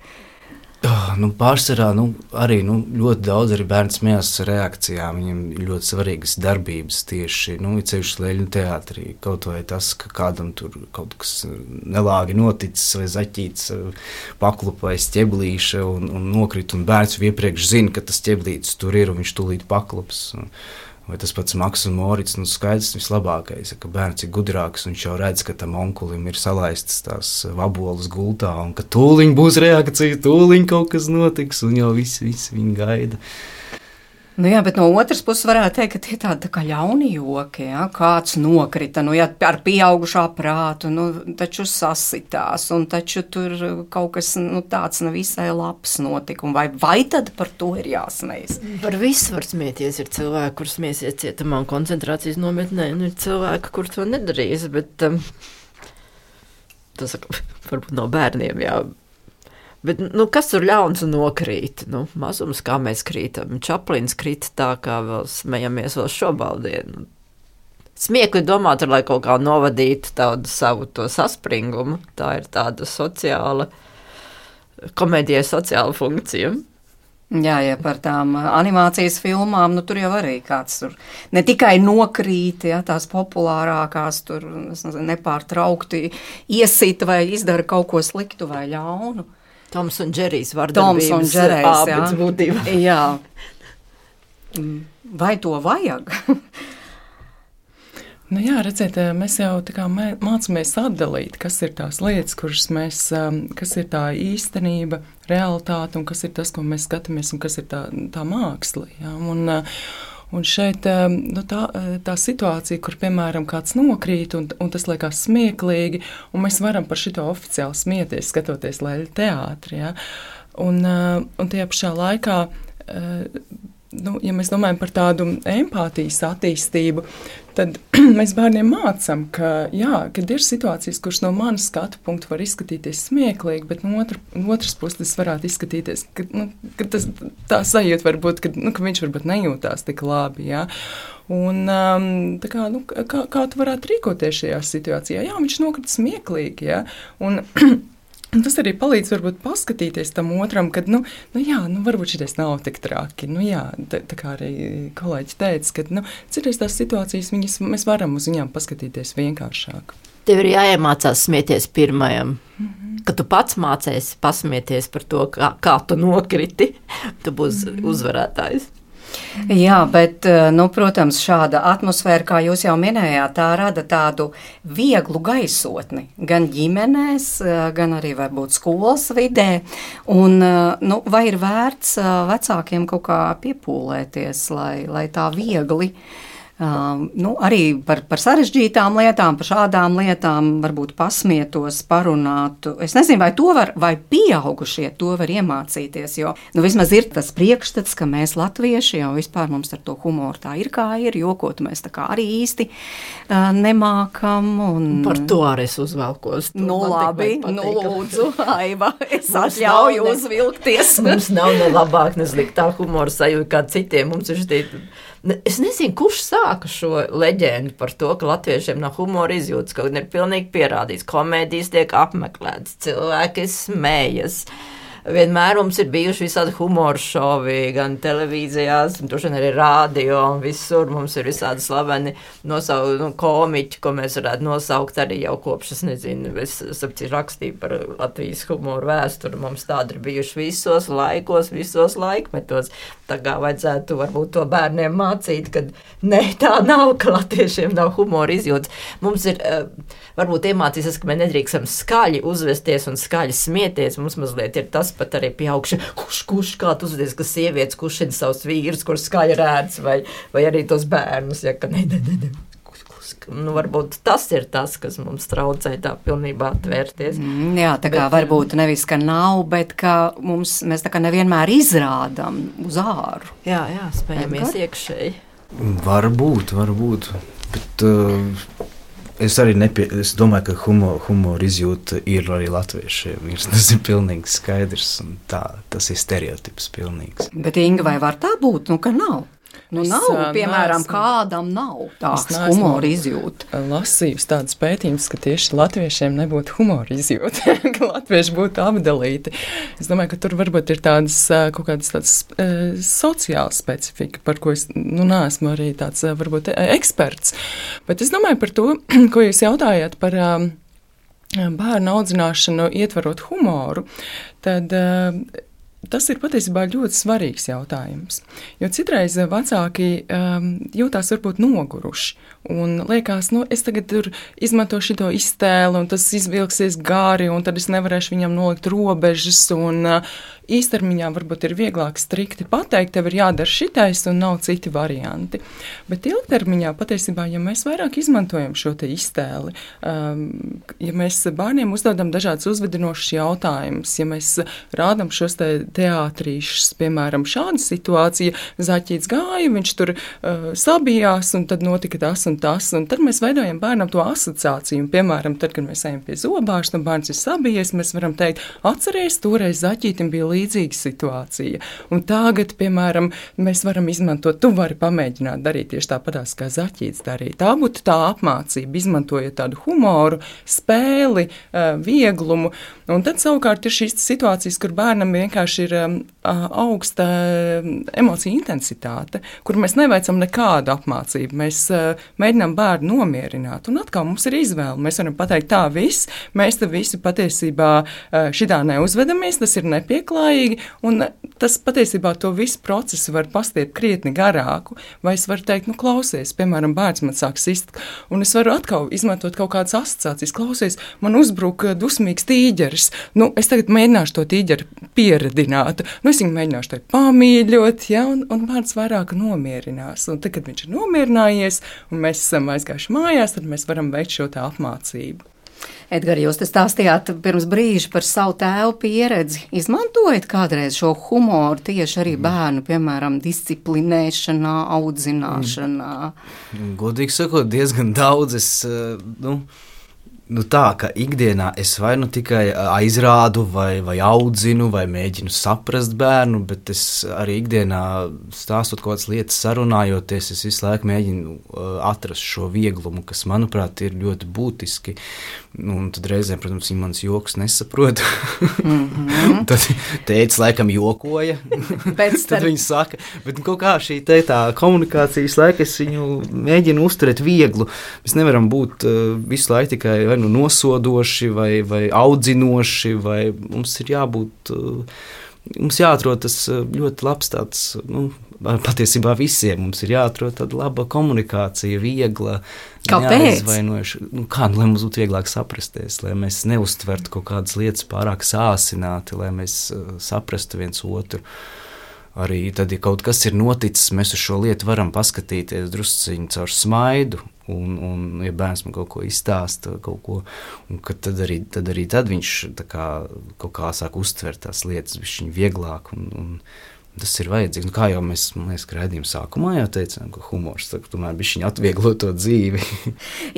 Oh, nu, pārsvarā nu, arī nu, ļoti daudz arī bērni smējās reakcijām. Viņiem ir ļoti svarīgas darbības tieši nu, ceļš Lēļu teātrī. Kaut vai tas, ka kādam tur kaut kas nelāgi noticis vai zaķīts paklupa vai ķeblīša un, un nokrit, un bērns iepriekš zina, ka tas ķeblītis tur ir un viņš tūlīt paklups. Vai tas pats Maks un Morits, nu skaidrs vislabākais, ka bērns ir gudrāks un viņš jau redz, ka tam onkulim ir salaistas tās vabolas gultā un ka tūliņ būs reakcija, tūliņ kaut kas notiks un jau visi, visi viņi gaida. Nu jā, bet no otras puses varētu teikt, ka tie tādi tā kā ļauni joki, ja? Kāds nokrita, nu jā, ar pieaugušā prātu, nu taču sasitās, un taču tur kaut kas, nu tāds nevisai labs notika, un vai, vai tad par to ir jāsmējas? Par visu var smieties, ir cilvēki, kur smiesies cietumā un koncentrācijas nometnē, un ir cilvēki, kur to nedarīs, bet um, tas varbūt no bērniem, jā. Bet, nu, kas tur ļauns un nokrīt? Nu, mazums, kā mēs krītam. Čaplins krita tā, kā vēl smejamies vēl šobaldienu. Smiekli domāt, lai kaut kā novadītu tādu savu to saspringumu. Tā ir tāda sociāla, komēdijai sociāla funkcija. Jā, ja par tām animācijas filmām, nu tur jau arī kāds tur ne tikai nokrīt, ja, tās populārākās tur, es nezinu, nepārtraukti iesita vai izdara kaut ko sliktu vai ļaunu. Toms un Džerijs vardarbības ābits būtībā. Jā. Vai to vajag? Nu jā, redziet, mēs jau tā kā mācāmies atdalīt, kas ir tās lietas, kuras mēs, kas ir tā īstenība, realitāte un kas ir tas, ko mēs skatāmies un kas ir tā, tā māksla. Jā. Un, un šeit nu, tā, tā situācija, kur, piemēram, kāds nokrīt un, un tas liekas smieklīgi, un mēs varam par šito oficiāli smieties, skatoties Lēļu teātri, jā. Un, un tajā pašā laikā, nu, ja mēs domājam par tādu empātijas attīstību, tad mēs bērniem mācām, ka, jā, kad ir situācijas, kuras no manas skatu punktu var izskatīties smieklīgi, bet no otru, otras puses tas varētu izskatīties, ka, nu, ka tas, tā sajūta var būt, ka, nu, ka viņš varbūt nejūtās tik labi, jā. Un um, tā kā, nu, kā, kā tu varētu rīkoties šajā situācijā? Jā, viņš nokrita smieklīgi, jā, un Un tas arī palīdz varbūt paskatīties tam otram, kad, nu, nu jā, nu varbūt šitais nav tik traki. Nu jā, tā, tā kā arī kolēģi teica, ka, nu, citreiz tās situācijas, viņas, mēs varam uz viņām paskatīties vienkāršāk. Tev ir jāiemācās smieties pirmajam. Mm-hmm. Kad tu pats mācēsi pasmieties par to, kā, kā tu nokriti, tu būsi mm-hmm. uzvarētājs. Jā, bet, nu, protams, šāda atmosfēra, kā jūs jau minējāt, tā rada tādu vieglu gaisotni gan ģimenēs, gan arī varbūt skolas vidē. Un, nu, vai ir vērts vecākiem kaut kā piepūlēties, lai, lai tā viegli Um, nu, arī par, par sarežģītām lietām, par šādām lietām varbūt pasmietos, parunātu. Es nezinu, vai to var, vai pieaugušie to var iemācīties, jo, nu, vismaz ir tas priekšstats, ka mēs latvieši jau vispār mums ar to humoru tā ir kā ir, jokot mēs tā kā arī īsti uh, nemākam. Un... Par to arī es uzvelkos. Nu, labi, nu, lūdzu, Aiva, es atļauju ne... uzvilkties. Mums nav ne labāk, ne sliktāk humora sajūta kā citiem. Mums ir šī... Es nezinu, kurš sāka šo leģendu par to, ka latviešiem nav humora izjūtas, kaut gan ir pilnīgi pierādīts. Komēdijas tiek apmeklētas, cilvēki smējas. Vienmēr mums ir bijuši visādi humora šovi, gan televīzijās, un arī rādio, un visur mums ir visādi slaveni nosau, nu, komiķi, ko mēs varētu nosaukt arī jau kopš, es nezinu, es sapcīju rakstīju par Latvijas humoru vēsturi, mums tādi ir bijuši visos laikos, visos laikmetos. Tā kā vajadzētu varbūt to bērniem mācīt, kad ne, tā nav, ka latviešiem nav humora izjūtas. Mums ir, varbūt iemācīsies, ka mēs nedrīkstam skaļi uzvesties un skaļi smieties. Mums mazliet ir tas pat arī pieaugši, kurš, kurš kā tu uzvedies, ka sievietes kušina savus vīrus, kurš skaļi rēdz, vai, vai arī tos bērnus, ja, ka ne, ne, ne, ne. Nu, varbūt tas ir tas, kas mums traucē tā pilnībā atvērties. Mm, jā, tā kā bet, varbūt nevis, ka nav, bet ka mums, mēs tā kā nevienmēr izrādam uz āru. Jā, jā, spējamies iekšēji. Varbūt, varbūt, bet uh, es arī nepie, es domāju, ka humor, humor izjūta ir arī latviešiem. Tas ir pilnīgi skaidrs, un tā, tas ir stereotips pilnīgs. Bet, Inga, vai var tā būt? Nu, ka nav. Nu, es, nav, piemēram, neesmu, kādam nav tāds humora izjūta. Lasījusi tādas pētījumus, ka tieši latviešiem nebūtu humora izjūta, ka latvieši būtu apdalīti. Es domāju, ka tur varbūt ir tādas kaut kādas tādas uh, sociālas specifika, par ko es, nu, neesmu arī tāds varbūt eksperts. Bet es domāju par to, ko jūs jautājāt par um, bērnu audzināšanu ietvarot humoru, tad uh, tas ir patiesībā ļoti svarīgs jautājums, jo citreiz vecāki um, jūtās varbūt noguruši un liekas, nu, es tagad tur izmantošu šito iztēli un tas izvilksies gari un tad es nevarēšu viņam nolikt robežas un uh, īstermiņā varbūt ir vieglāk strikti pateikt, tev ir jādara šitais un nav citi varianti. Bet ilgtermiņā patiesībā, ja mēs vairāk izmantojam šo te iztēli, um, ja mēs bērniem uzdodam dažādas uzvedinošas jautājumus, ja mēs rādam šos te teātrīšus, piemēram, šāda situācija, Zaķīts gāja, viņš tur uh, sabijās un tad notika tas un tas, un tad mēs veidojam bērnam to asociāciju, un, piemēram, tad, kad mēs ejam pie zobārsta un bērns ir sabijies, mēs varam teikt, atceries, toreiz Zaķītim bija līdzīga situācija. Un tagad, piemēram, mēs varam izmantot, tu vari pamēģināt darīt tieši tāpatās, kā Zaķīts darīja. Tā būtu tā apmācība, izmantojot tādu humoru, spēli, vieglumu. Un tad savukārt ir šīs situācijas, kur bērnam vienkārši ir augsta emocija intensitāte, kur mēs neveicam nekādu apmācību. Mēs mēģinām bērnu nomierināt. Un atkal mums ir izvēle. Mēs varam pateikt tā viss, mēs te visi patiesībā šidā neuzvedamies, tas ir nepieklājīgi, un tas patiesībā to visu procesu var pastiept krietni garāku, vai es varu teikt, nu klausies, piemēram, bērns man sāk sist, un es varu atkal izmantot kaut kādas asociācijas, klausies, man uzbruk dusmīgs tīģeris, nu es tagad mēģināšu to tīģeri pieredināt, nu es viņu mēģināšu te pamīļot, ja, un, un bērns vairāk nomierinās, un tad, kad viņš ir nomierinājies, un mēs esam aizgājuši mājās, tad mēs varam veikt šo tā apmācību. Edgars, jūs te stāstījāt pirms brīža par savu tēvu pieredzi. Izmantojat kādreiz šo humoru tieši arī bērnu, piemēram, disciplinēšanā, audzināšanā? Godīgi sakot, diezgan daudz. Es, nu, nu tā, ka ikdienā es vai nu tikai aizrādu, vai, vai audzinu, vai mēģinu saprast bērnu, bet es arī ikdienā stāstot kaut kādas lietas, sarunājoties, es visu laiku mēģinu atrast šo vieglumu, kas, manuprāt, ir ļoti būtiski. Nu, un tad reizēm, protams, viņi manas joks nesaprot. Mm-hmm. Tad tētis laikam jokoja. Tad starp... viņi saka, bet kaut kā šī te tā komunikācijas laika es viņu mēģinu uzturēt vieglu. Mēs nevaram būt uh, visu laiku tikai vai nu nosodoši, vai, vai audzinoši, vai mums ir jābūt, uh, mums jāatrod tas ļoti labs tāds, nu, patiesībā visiem mums ir jāatrod tāda laba komunikācija, viegla. Kāpēc? Nu, kā, nu, lai mums būtu vieglāk saprasties, lai mēs neuztvertu kaut kādas lietas pārāk sāsināti, lai mēs uh, saprastu viens otru. Arī tad, ja kaut kas ir noticis, mēs uz šo lietu varam paskatīties drusciņu caur smaidu, un, un ja bērns man kaut ko izstāsta, kaut ko, un tad arī tad, arī tad viņš tā kā, kaut kā sāk uztvert tās lietas bišķiņ vieglāk, un, un tas ir vajadzīgs. Nu, kā jau mēs, man liekas, raidījuma sākumā jau teicām, ka humors tomēr bišķiņ atvieglo to dzīvi.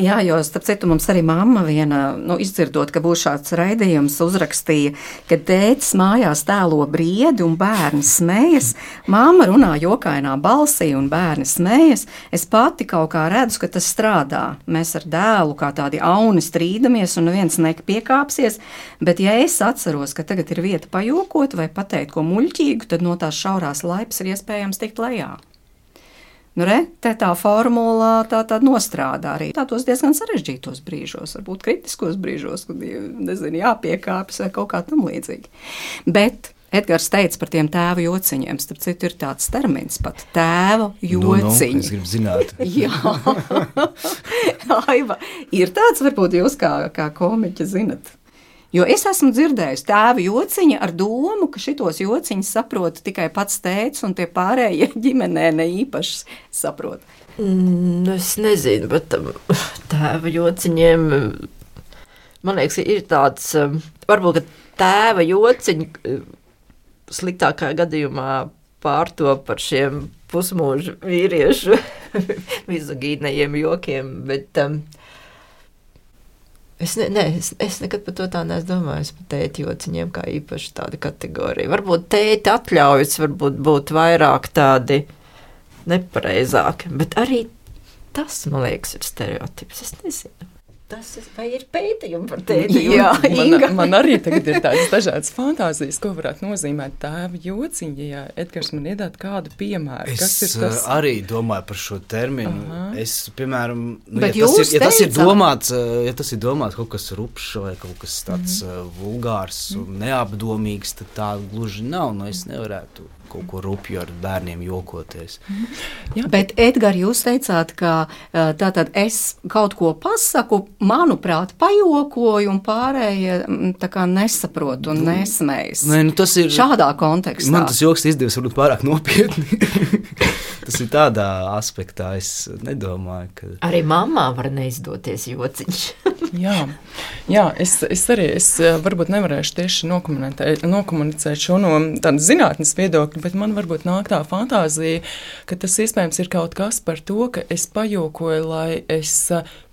Jā, jo, starp citu, mums arī mamma viena, nu, izdzirdot, ka būs šāds raidījums, uzrakstīja, ka tētis mājās tēlo briedi un bērni smējas, mamma runā jokainā balsī un bērni smējas. Es pati kaut kā redzu, ka tas strādā. Mēs ar dēlu kā tādi auni strīdamies un neviens nepiekāpsies, bet ja es atceros, ka tagad ir vieta pajokot vai pateikt ko muļķīgu, tad no tās šaurās laipas ir iespējams tikt lejā. Nu, re, te tā formula tā, tā nostrādā arī tādos diezgan sarežģītos brīžos, varbūt kritiskos brīžos, kad, nezinu, jāpiekāpjas vai kaut kā tam līdzīgi. Bet Edgars teica par tiem tēva jociņiem, starp citu ir tāds termins pat tēva jociņi. Nu, nu, es gribu zināt. Jā, Aiva, ir tāds, varbūt jūs kā, kā komiķi zinat. Jo es esmu dzirdējusi tēva jociņa ar domu, ka šitos jociņus saprot tikai pats tēvs un tie pārējie ģimenē ne īpaši saprot. Mm, es nezinu, bet tēva jociņiem, man liekas, ir tāds, varbūt, ka tēva jociņi sliktākā gadījumā pārto par šiem pusmūžu vīriešu mizogīnajiem jokiem, bet... Um, Es, ne, ne, es, es nekad par to tā neesmu domājis, par tēti jociņiem kā īpaši tāda kategorija. Varbūt tēti atļaujas, varbūt būt vairāk tādi nepareizāki, bet arī tas, man liekas, ir stereotips. Es nezinu. Tas ir, vai ir pētījumi par tēti jociņiem? Man, man arī tagad ir tādas dažādas fantāzijas, ko varētu nozīmēt tēva jociņi, ja Edgars man iedāt kādu piemēru. Es kas ir tas? Arī domāju par šo terminu. Aha. Es, piemēram, nu, ja, tas ir, ja, tas ir domāts, ja tas ir domāts kaut kas rupšs vai kaut kas tāds mm. vulgārs un mm. neapdomīgs, tad tā gluži nav. Nu, es nevarētu kaut ko rupju ar bērniem jokoties. Jā. Bet, Edgars, jūs teicāt, ka tātad es kaut ko pasaku, manuprāt, pajokoju un pārējie tā kā nesaprot un nesmējas. Nē, nu tas ir... Šādā kontekstā. Man tas joks izdevies varbūt pārāk nopietni. Tas ir tādā aspektā, es nedomāju, ka... Arī mammā var neizdoties jociņš. Jā, jā es, es arī es varbūt nevarēšu tieši nokomunicēt šo no tādas zinātnes viedokļa, bet man varbūt nāk tā fantāzija, ka tas iespējams ir kaut kas par to, ka es pajokoju, lai es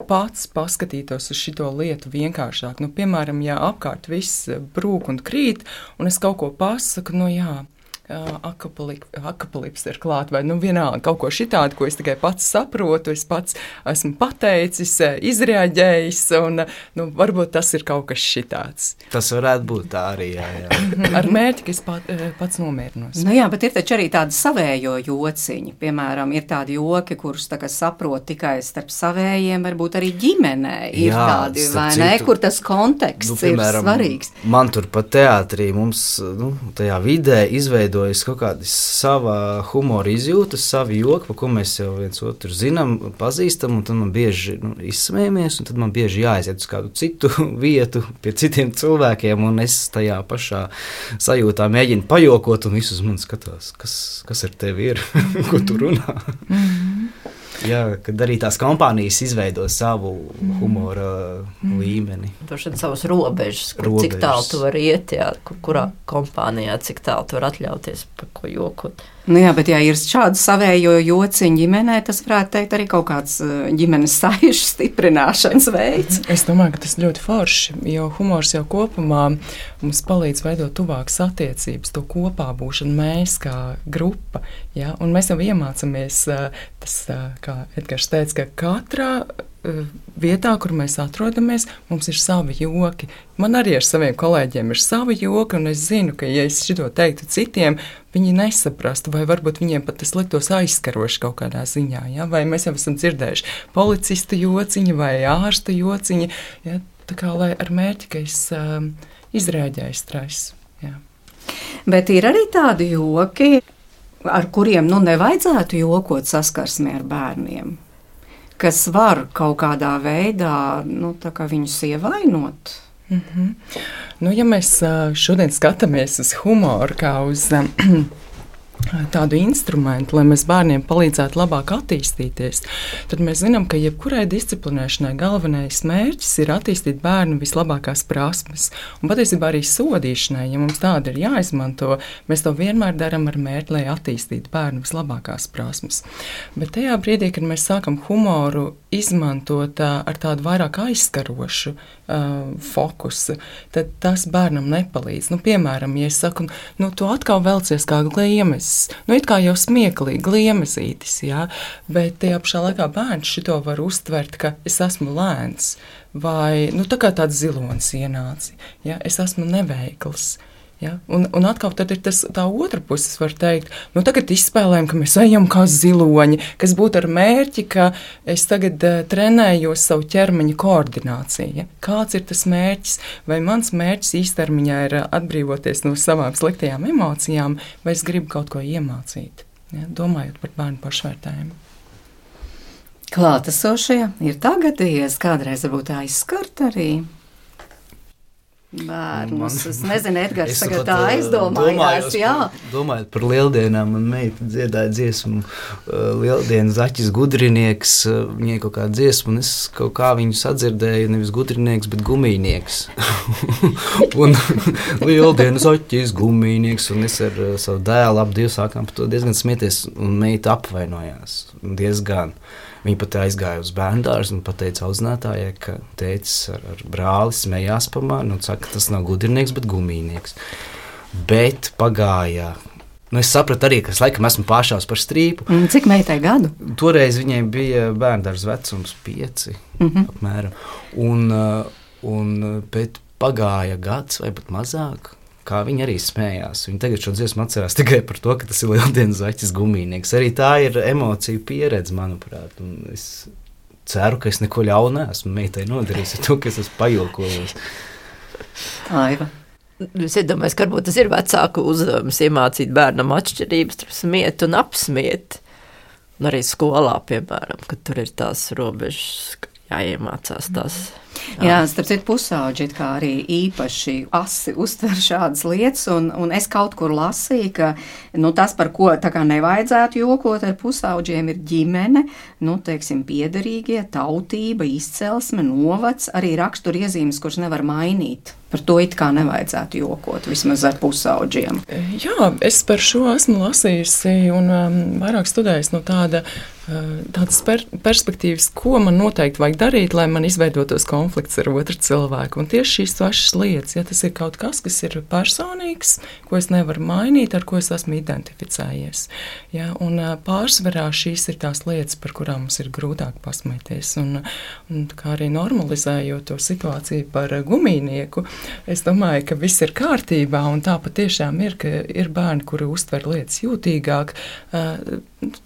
pats paskatītos uz šito lietu vienkāršāk. Nu, piemēram, ja apkārt viss brūk un krīt, un es kaut ko pasaku, nu jā, akapalips ir klāt, vai nu vienalga kaut ko šitādu, ko es tikai pats saprotu, es pats esmu pateicis, izreaģējis, un nu, varbūt tas ir kaut kas šitāds. Tas varētu būt tā arī, jā, jā. Ar mērķi, ka es pat, pats nomierinos. Nu jā, bet ir taču arī tādi savējo jociņi. Piemēram, ir tādi joki, kurus tā kā saprot tikai starp savējiem, varbūt arī ģimenē ir jā, tādi, vai ne, kur tas konteksts nu, piemēram, ir svarīgs. Man tur pat teātrī mums, nu, tajā vidē izveido es kaut kādas sava humora izjūtas, savi joki, pa ko mēs jau viens otru zinām, pazīstam, un tad man bieži nu, izsmējamies, un tad man bieži jāaiziet uz kādu citu vietu pie citiem cilvēkiem, un es tajā pašā sajūtā mēģinu pajokot, un visus man skatās, kas, kas ar tevi ir, ko tu runā. Mm-hmm. Jā, kad arī tās kompānijas izveido savu humora mm. līmeni. Droši vien savas robežas, kur, robežas. Cik tālu tu vari iet, jā, kur, kurā kompānijā, cik tālu tu vari atļauties par ko jokot. Nu jā, bet ja ir šādu savējo jociņu ģimenē, tas varētu teikt arī kaut kāds ģimenes saišu stiprināšanas veids. Es domāju, ka tas ļoti forši, jo humors jau kopumā mums palīdz veidot tuvākas attiecības, to kopā būšanu mēs kā grupa, ja? Un mēs jau iemācamies, tas, kā Edgars teica, ka katrā vietā, kur mēs atrodamies, mums ir savi joki. Man arī ar saviem kolēģiem ir savi joki, un es zinu, ka, ja es šito teiktu citiem, viņi nesaprastu, vai varbūt viņiem pat tas liktos aizskaroši kaut kādā ziņā. Ja? Vai mēs jau esam dzirdējuši policistu jociņu vai ārsta jociņu, ja? Tā kā lai ar mērķi, ka es um, izrēģēju stresu. Ja. Bet ir arī tādi joki, ar kuriem nu, nevajadzētu jokot saskarsmē ar bērniem, kas var kaut kādā veidā nu, tā kā viņus ievainot. Mm-hmm. Nu, ja mēs šodien skatāmies uz humoru kā uz tādu instrumentu, lai mēs bērniem palīdzētu labāk attīstīties, tad mēs zinām, ka jebkurai disciplinēšanai galvenais mērķis ir attīstīt bērnu vislabākās prasmes. Un patiesībā arī sodīšanai, ja mums tāda ir jāizmanto, mēs to vienmēr darām ar mērķi, lai attīstītu bērnu vislabākās prasmes. Bet tajā brīdī, kad mēs sākam humoru izmantot uh, ar tādu vairāk aizskarošu uh, fokusu, tad tas bērnam nepalīdz. Nu, piemēram, ja es saku, nu, tu atkal velcies kā gliemes, nu, it kā jau smieklīgi, gliemezītis, jā, bet tajā pašā laikā bērns šito var uztvert, ka es esmu lēns, vai, nu, tā kā tāds zilonis ienāci, jā, es esmu neveikls. Ja? Un, un atkal tad ir tas, tā otra puses var teikt, nu tagad izspēlējam, ka mēs ejam kā ziloņi, kas būtu ar mērķi, ka es tagad uh, trenējos savu ķermeņa koordināciju. Ja? Kāds ir tas mērķis? Vai mans mērķis īstermiņā ir uh, atbrīvoties no savām sliktajām emocijām, vai es gribu kaut ko iemācīt, ja? Domājot par bērnu pašvērtējumu. Klātesošie ir tagadījies, kādreiz varbūt aizskart arī bērnus. Es nezinu, Edgars es tagad tā aizdomājās, jā. Domājot par lieldienām, man meita dziedāja dziesmu uh, Lieldienu Zaķis Gudrinieks, uh, viņai kaut kā dziesmu, un es kaut kā viņu sadzirdēju, nevis gudrinieks, bet gumīnieks. Un Lieldienu Zaķis Gumīnieks, un es ar uh, savu dēlu ap Dievu sākām par to diezgan smieties, un meita apvainojās diezgan. Viņa pat aizgāja uz bērndārzu un pateica audzinātājai, ka tētis ar, ar brāli smējās pa mani un saka, ka tas nav gudrinieks, bet gumīnieks. Bet pagāja, nu es sapratu arī, ka es laikam esmu pāršās par strīpu. Cik meitai gadu? Toreiz viņai bija bērndārza vecums pieci, mm-hmm. apmēram. Un, un bet pagāja gads vai pat mazāk. Kā viņi arī smējās. Viņi tagad šo dziesmu atcerās tikai par to, ka tas ir Lieldienu Zaķis Gumīnieks. Arī tā ir emociju pieredze, manuprāt. Un es ceru, ka es neko ļaunu esmu meitai nodarījis ar to, ka es esmu pajokojos. Aiva. Es iedomājos, ka varbūt tas ir vecāku uzdevums iemācīt bērnam atšķirības starp smiet un apsmiet. Un arī skolā, piemēram, kad tur ir tās robežas, jāiemācās tās. Jā, starp citu pusauģi kā arī īpaši asi uztver šādas lietas, un, un es kaut kur lasīju, ka nu, tas, par ko tā kā nevajadzētu jokot ar pusauģiem, ir ģimene, nu, teiksim, piederīgie, tautība, izcelsme, novads, arī raksturiezīmes, kuras nevar mainīt. Par to it kā nevajadzētu jokot, vismaz ar pusauģiem. Jā, es par šo esmu lasījusi un um, vairāk studējusi no tāda, uh, tādas per perspektīvas, ko man noteikti vajag darīt, lai man izveidotos konflikts ar otru cilvēku. Un tieši šīs pašas lietas, ja tas ir kaut kas, kas ir personīgs, ko es nevaru mainīt, ar ko es esmu identificējies. Ja, un uh, pārsvarā šīs ir tās lietas, par kurām mums ir grūtāk pasmēties. Un, un kā arī normalizējot to situāciju par uh, gumīnieku, es domāju, ka viss ir kārtībā, un tā patiešām ir, ka ir bērni, kuri uztver lietas jūtīgāk uh,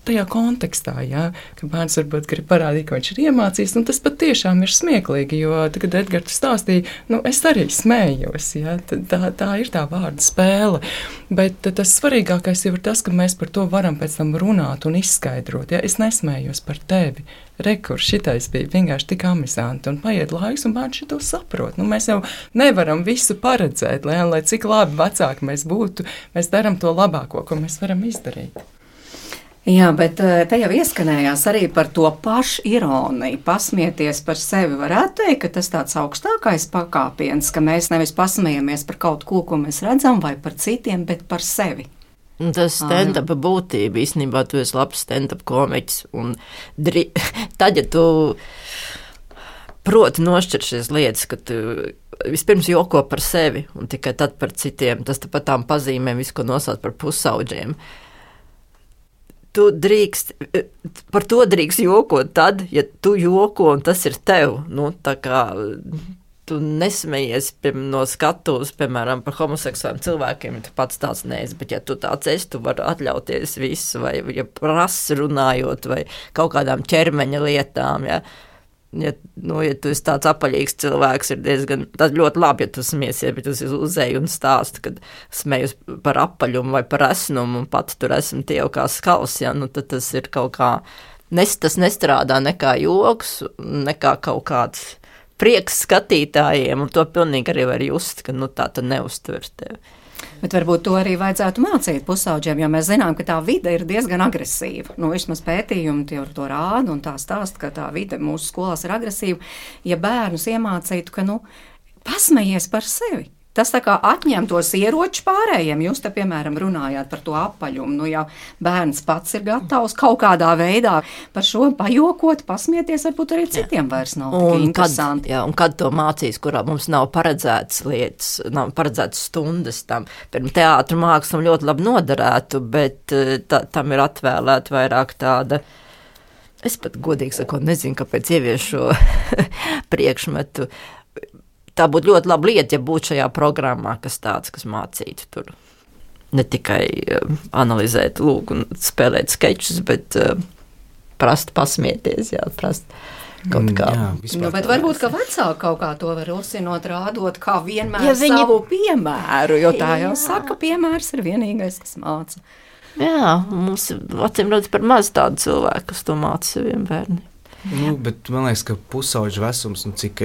tajā kontekstā, ja, ka bērns varbūt grib parādīt, ka viņš ir iemācījis, un tas patiešām ir smieklīgi, jo tagad Edgars stāstīja, nu, es arī smējos, ja, tā, tā ir tā vārda spēle, bet tas svarīgākais jau ir tas, ka mēs par to varam pēc tam runāt un izskaidrot, ja, es nesmējos par tevi, rekur, šitais bija vienkārši tik amizanti, un paiet laiks, un bērns šito saprot. Nu, mēs jau nevaram visu paredzēt, lai, lai cik labi vecāki mēs būtu, mēs daram to labāko, ko mēs varam izdarīt. Jā, bet te jau ieskanējās arī par to pašu ironiju. Pasmieties par sevi varētu teikt, ka tas tāds augstākais pakāpiens, ka mēs nevis pasmējamies par kaut ko, ko mēs redzam, vai par citiem, bet par sevi. Tas stand-up būtība, īstenībā tu esi labs stand-up komiķis. Un dri... tad, ja tu proti nošķir šīs lietas, ka tu vispirms joko par sevi un tikai tad par citiem, tas pat tām pazīmēm visu, ko nosauc par pusauģiem. Tu drīkst, par to drīkst jokot tad, ja tu joko un tas ir tev. Nu, tā kā tu nesmejies piem, no skatuves, piemēram, par homoseksuāliem cilvēkiem, ja tu pats tāds neesi, bet ja tu tāds esi, tu vari atļauties visu, vai ja prasi runājot, vai kaut kādām ķermeņa lietām, ja. Ja, nu, ja tu esi tāds apaļīgs cilvēks, ir diezgan, tas ļoti labi, ja tu smiesies, bet tu uzēji un stāsti, kad smējus par apaļumu vai par esnumu, un pat tur esmu tie jau kā skals, ja, nu, tad tas ir kaut kā, nes, tas nestrādā nekā joks, nekā kaut kāds prieks skatītājiem, un to pilnīgi arī var just, ka, nu, tā tu neuztver tevi. Bet varbūt to arī vajadzētu mācīt pusauģiem, jo mēs zinām, ka tā vide ir diezgan agresīva. Nu, vismaz pētījumi tie to rāda un tā stāsta, ka tā vide mūsu skolās ir agresīva. Ja bērnus iemācītu, ka, nu, pasmejies par sevi. Tas tā kā atņem tos ieročus pārējiem. Jūs te, piemēram, runājāt par to apaļumu. Nu, ja bērns pats ir gatavs kaut kādā veidā par šo pajokot, pasmieties, varbūt arī citiem vairs nav tik interesanti. Kad, jā, un kad to mācīs, kurā mums nav paredzētas lietas, nav paredzētas stundas tam. Pirms teātra mākslam ļoti labi noderētu, bet tā, tam ir atvēlēta vairāk tāda. Es pat godīgi sakot, nezinu, kāpēc ievieš šo priekšmetu. Tā būtu ļoti laba lieta, ja būtu šajā programmā, kas tāds, kas mācītu tur. Ne tikai uh, analizēt, lūk, un spēlēt skečus, bet uh, prast pasmieties, jā, prast kaut kā. Jā, nu, bet varbūt, ka vecāki kaut kā to var rosinot, rādot, kā vienmēr ja viņi... savu piemēru, jo tā jau saka, piemērs ir vienīgais, kas māca. Jā, mums acīm redz par maz tādu cilvēku, kas to māca saviem bērniem. Nu, bet man liekas, ka pusauģu vecums, nu, cik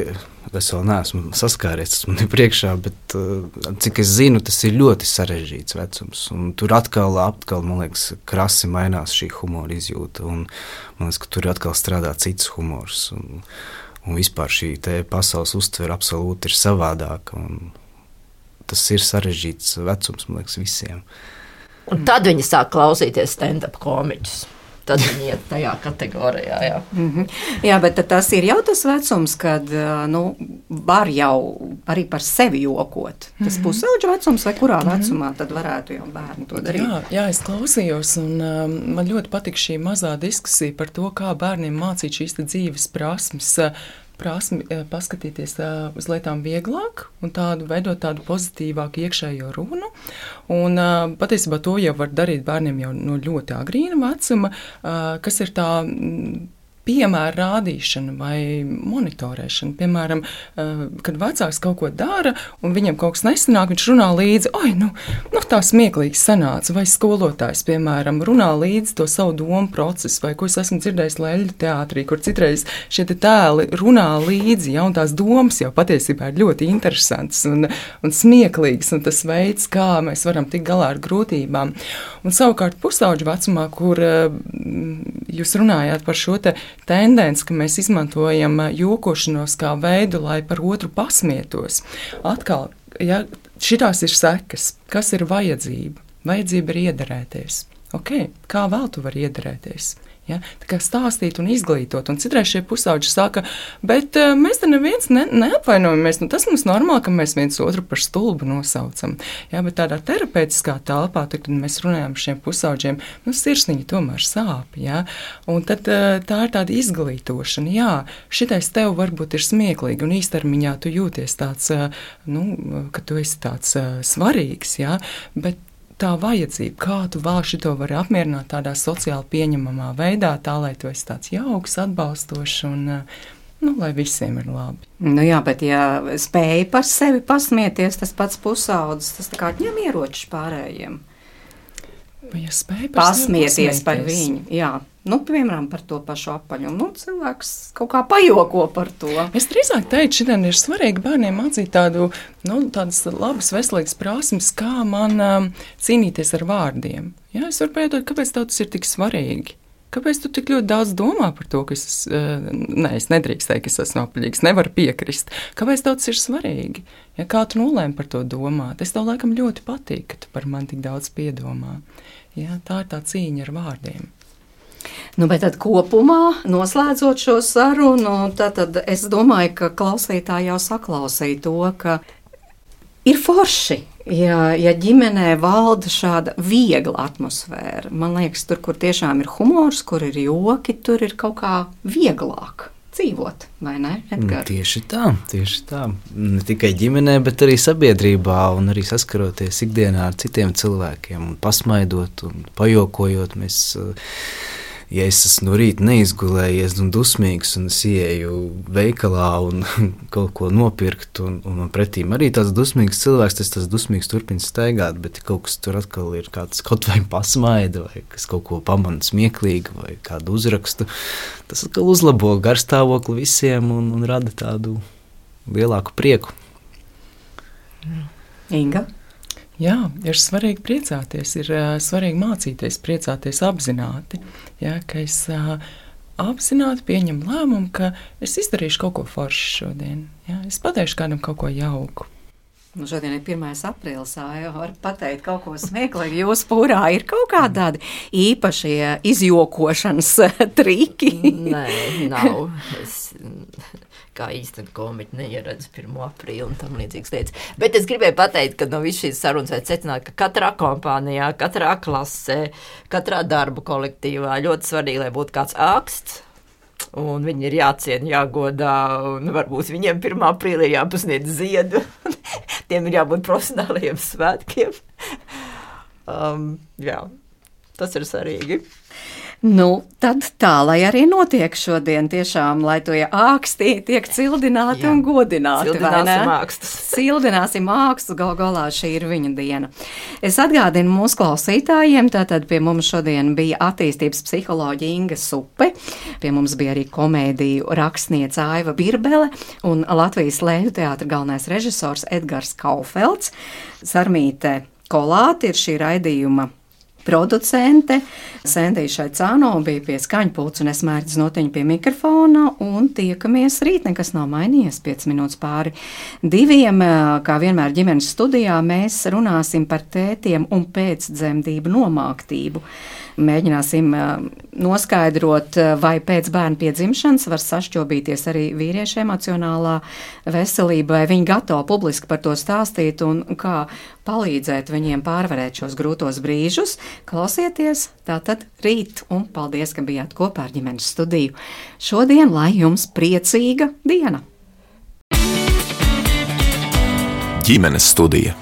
es vēl neesmu saskāries, tas man ir priekšā, bet cik es zinu, tas ir ļoti sarežģīts vecums. Un tur atkal, atkal, man liekas, krasi mainās šī humora izjūta. Un man liekas, ka tur atkal strādā cits humors. Un, un vispār šī te pasaules uztvere absolūti ir savādāka. Un tas ir sarežģīts vecums, man liekas, visiem. Un tad viņi sāk klausīties stand-up komiķus. Tad viņi iet tajā kategorijā, jā. Mm-hmm. Jā, bet tas ir jau tas vecums, kad, nu, var jau arī par sevi jokot. Tas mm-hmm. pusauģu vecums vai kurā mm-hmm. vecumā tad varētu jau bērni to darīt? Jā, jā, es klausījos, un um, man ļoti patika šī mazā diskusija par to, kā bērniem mācīt šīs dzīves prasmes, prasmi paskatīties uz lietām vieglāk un tādu veidot tādu pozitīvāku iekšējo runu. Un patiesībā to jau var darīt bērniem jau no ļoti agrīna vecuma, kas ir tā piemēra rādīšana vai monitorēšana. Piemēram, kad vecāks kaut ko dara un viņam kaut kas nesanāk, viņš runā līdzi, oi, nu, nu tā smieklīgi sanāca, vai skolotājs, piemēram, runā līdzi to savu domu procesu, vai ko es esmu dzirdējis Leļļu teātrī, kur citreiz šie te tēli runā līdzi, ja, un tās domas jau patiesībā ir ļoti interesantas un, un smieklīgas, un tas veids, kā mēs varam tikt galā ar grūtībām. Un savukārt pusauģu vecumā, kur jūs runājāt par šo te tendence, ka mēs izmantojam jokošanos kā veidu, lai par otru pasmietos. Atkal, ja šitās ir sekas, kas ir vajadzība? Vajadzība ir iederēties. Ok, kā vēl tu vari iederēties? Ja? Tā kā stāstīt un izglītot. Un citreiz šie pusauģi saka, bet uh, mēs te neviens ne, neapvainojamies. Nu, tas mums normāli, ka mēs viens otru par stulbu nosaucam. Ja? Bet tādā terapeitiskā telpā, tad, kad mēs runājam par šiem pusauģiem, nu, sirsniņi tomēr sāp. Ja? Un tad uh, tā ir tāda izglītošana. Jā, šitais tev varbūt ir smieklīgi un īstermiņā tu jūties tāds, uh, nu, ka tu esi tāds uh, svarīgs, ja? Bet tā vajadzība, kā tu vēl šito vari apmierināt tādā sociāli pieņemamā veidā, tā, lai tu esi tāds jauks, atbalstošs un, nu, lai visiem ir labi. Nu jā, bet ja spēja par sevi pasmieties, tas pats pusaudzis, tas tā kā atņem ieročus pārējiem. Vai ja spēj par pasmieties par viņu. Jā. Nu, piemēram, par to pašu apaļumu. Nu, cilvēks kaut kā pajoko par to. Es drīzāk teiktu, šodien ir svarīgi bērniem mācīt tādu, nu, tādas labas, veselīgas prasmes, kā man um, cīnīties ar vārdiem. Jā, es varu pajautāt, kāpēc tev tas ir tik svarīgi? Kāpēc tu tik ļoti daudz domā par to, ka es, uh, ne, es nedrīkst teikt, ka es esmu apaļīgs, nevaru piekrist. Kāpēc tev tas ir svarīgi? Ja, kā tu nolēmi par to domāt? Es tev laikam ļoti patīk, ka tu par mani tik daudz piedomā. Jā, tā ir tā cīņa ar vārdiem. Nu, bet tad kopumā, noslēdzot šo sarunu, tad, tad es domāju, ka klausītāji jau saklausīja to, ka ir forši, ja, ja ģimenē valda šāda viegla atmosfēra. Man liekas, tur, kur tiešām ir humors, kur ir joki, tur ir kaut kā vieglāk dzīvot, vai ne, Edgar? Tieši tā, tieši tā. Ne tikai ģimenē, bet arī sabiedrībā un arī saskaroties ikdienā ar citiem cilvēkiem un pasmaidot un pajokojot. Mēs, ja es esmu no rīta neizgulējies un dusmīgs un es ieeju veikalā un kaut ko nopirkt un, un man pretīm arī tāds dusmīgs cilvēks, tas tas dusmīgs turpina staigāt, bet kaut kas tur atkal ir kāds kaut vai pasmaida vai kas kaut ko pamana smieklīgi vai kādu uzrakstu, tas atkal uzlabo garstāvokli visiem un, un rada tādu lielāku prieku. Inga? Jā, ir svarīgi priecāties, ir uh, svarīgi mācīties, priecāties apzināti. Jā, ka es uh, apzināti pieņemu lēmumu, ka es izdarīšu kaut ko foršu šodien. Jā, es pateikšu kādam kaut ko jauku. Nu, šodien ir pirmais aprīlis, jau var pateikt kaut ko smieklīgi. Jūsu pūrā ir kaut kādi tādi īpašie izjokošanas triki? Nē, nav. Es kā īstenībā komiķi neieredzu pirmo aprīli un tam līdzīgas lietas. Bet es gribēju pateikt, ka no visu šīs sarunas vajag secināt, ka katrā kompānijā, katrā klasē, katrā darbu kolektīvā ļoti svarīgi, lai būtu kāds āksts. Un viņi ir jāciena, jāgodā, un varbūt viņiem pirmā aprīlī jāpasniedz ziedu. Tiem ir jābūt profesionāliem svētkiem. Um, jā, tas ir svarīgi. Nu, tad tā, lai arī notiek šodien tiešām, lai to ākstī tiek cildināti Jā. un godināti. Cildināsim ākstus. Cildināsim ākstus, gal galā šī ir viņa diena. Es atgādinu mūsu klausītājiem, tātad pie mums šodien bija attīstības psiholoģija Inga Supe, pie mums bija arī komēdiju rakstniece Aiva Birbele un Latvijas Lēļu teātra galvenais režisors Edgars Kaufelds. Sarmīte Kolāte ir šī raidījuma producente. Sendija Šaicāno bija pie skaņpults un es Mērķis Notiņa pie mikrofona un tiekamies rīt, nekas nav mainījies, piecas minūtes pāri diviem. Kā vienmēr ģimenes studijā mēs runāsim par tētiem un pēcdzemdību nomāktību. Mēģināsim noskaidrot, vai pēc bērna piedzimšanas var sašķobīties arī vīriešu emocionālā veselība, vai viņi gatavi publiski par to stāstīt un kā palīdzēt viņiem pārvarēt šos grūtos brīžus. Klausieties tātad rīt un paldies, ka bijāt kopā ar ģimenes studiju. Šodien, lai jums priecīga diena! Ģimenes studija.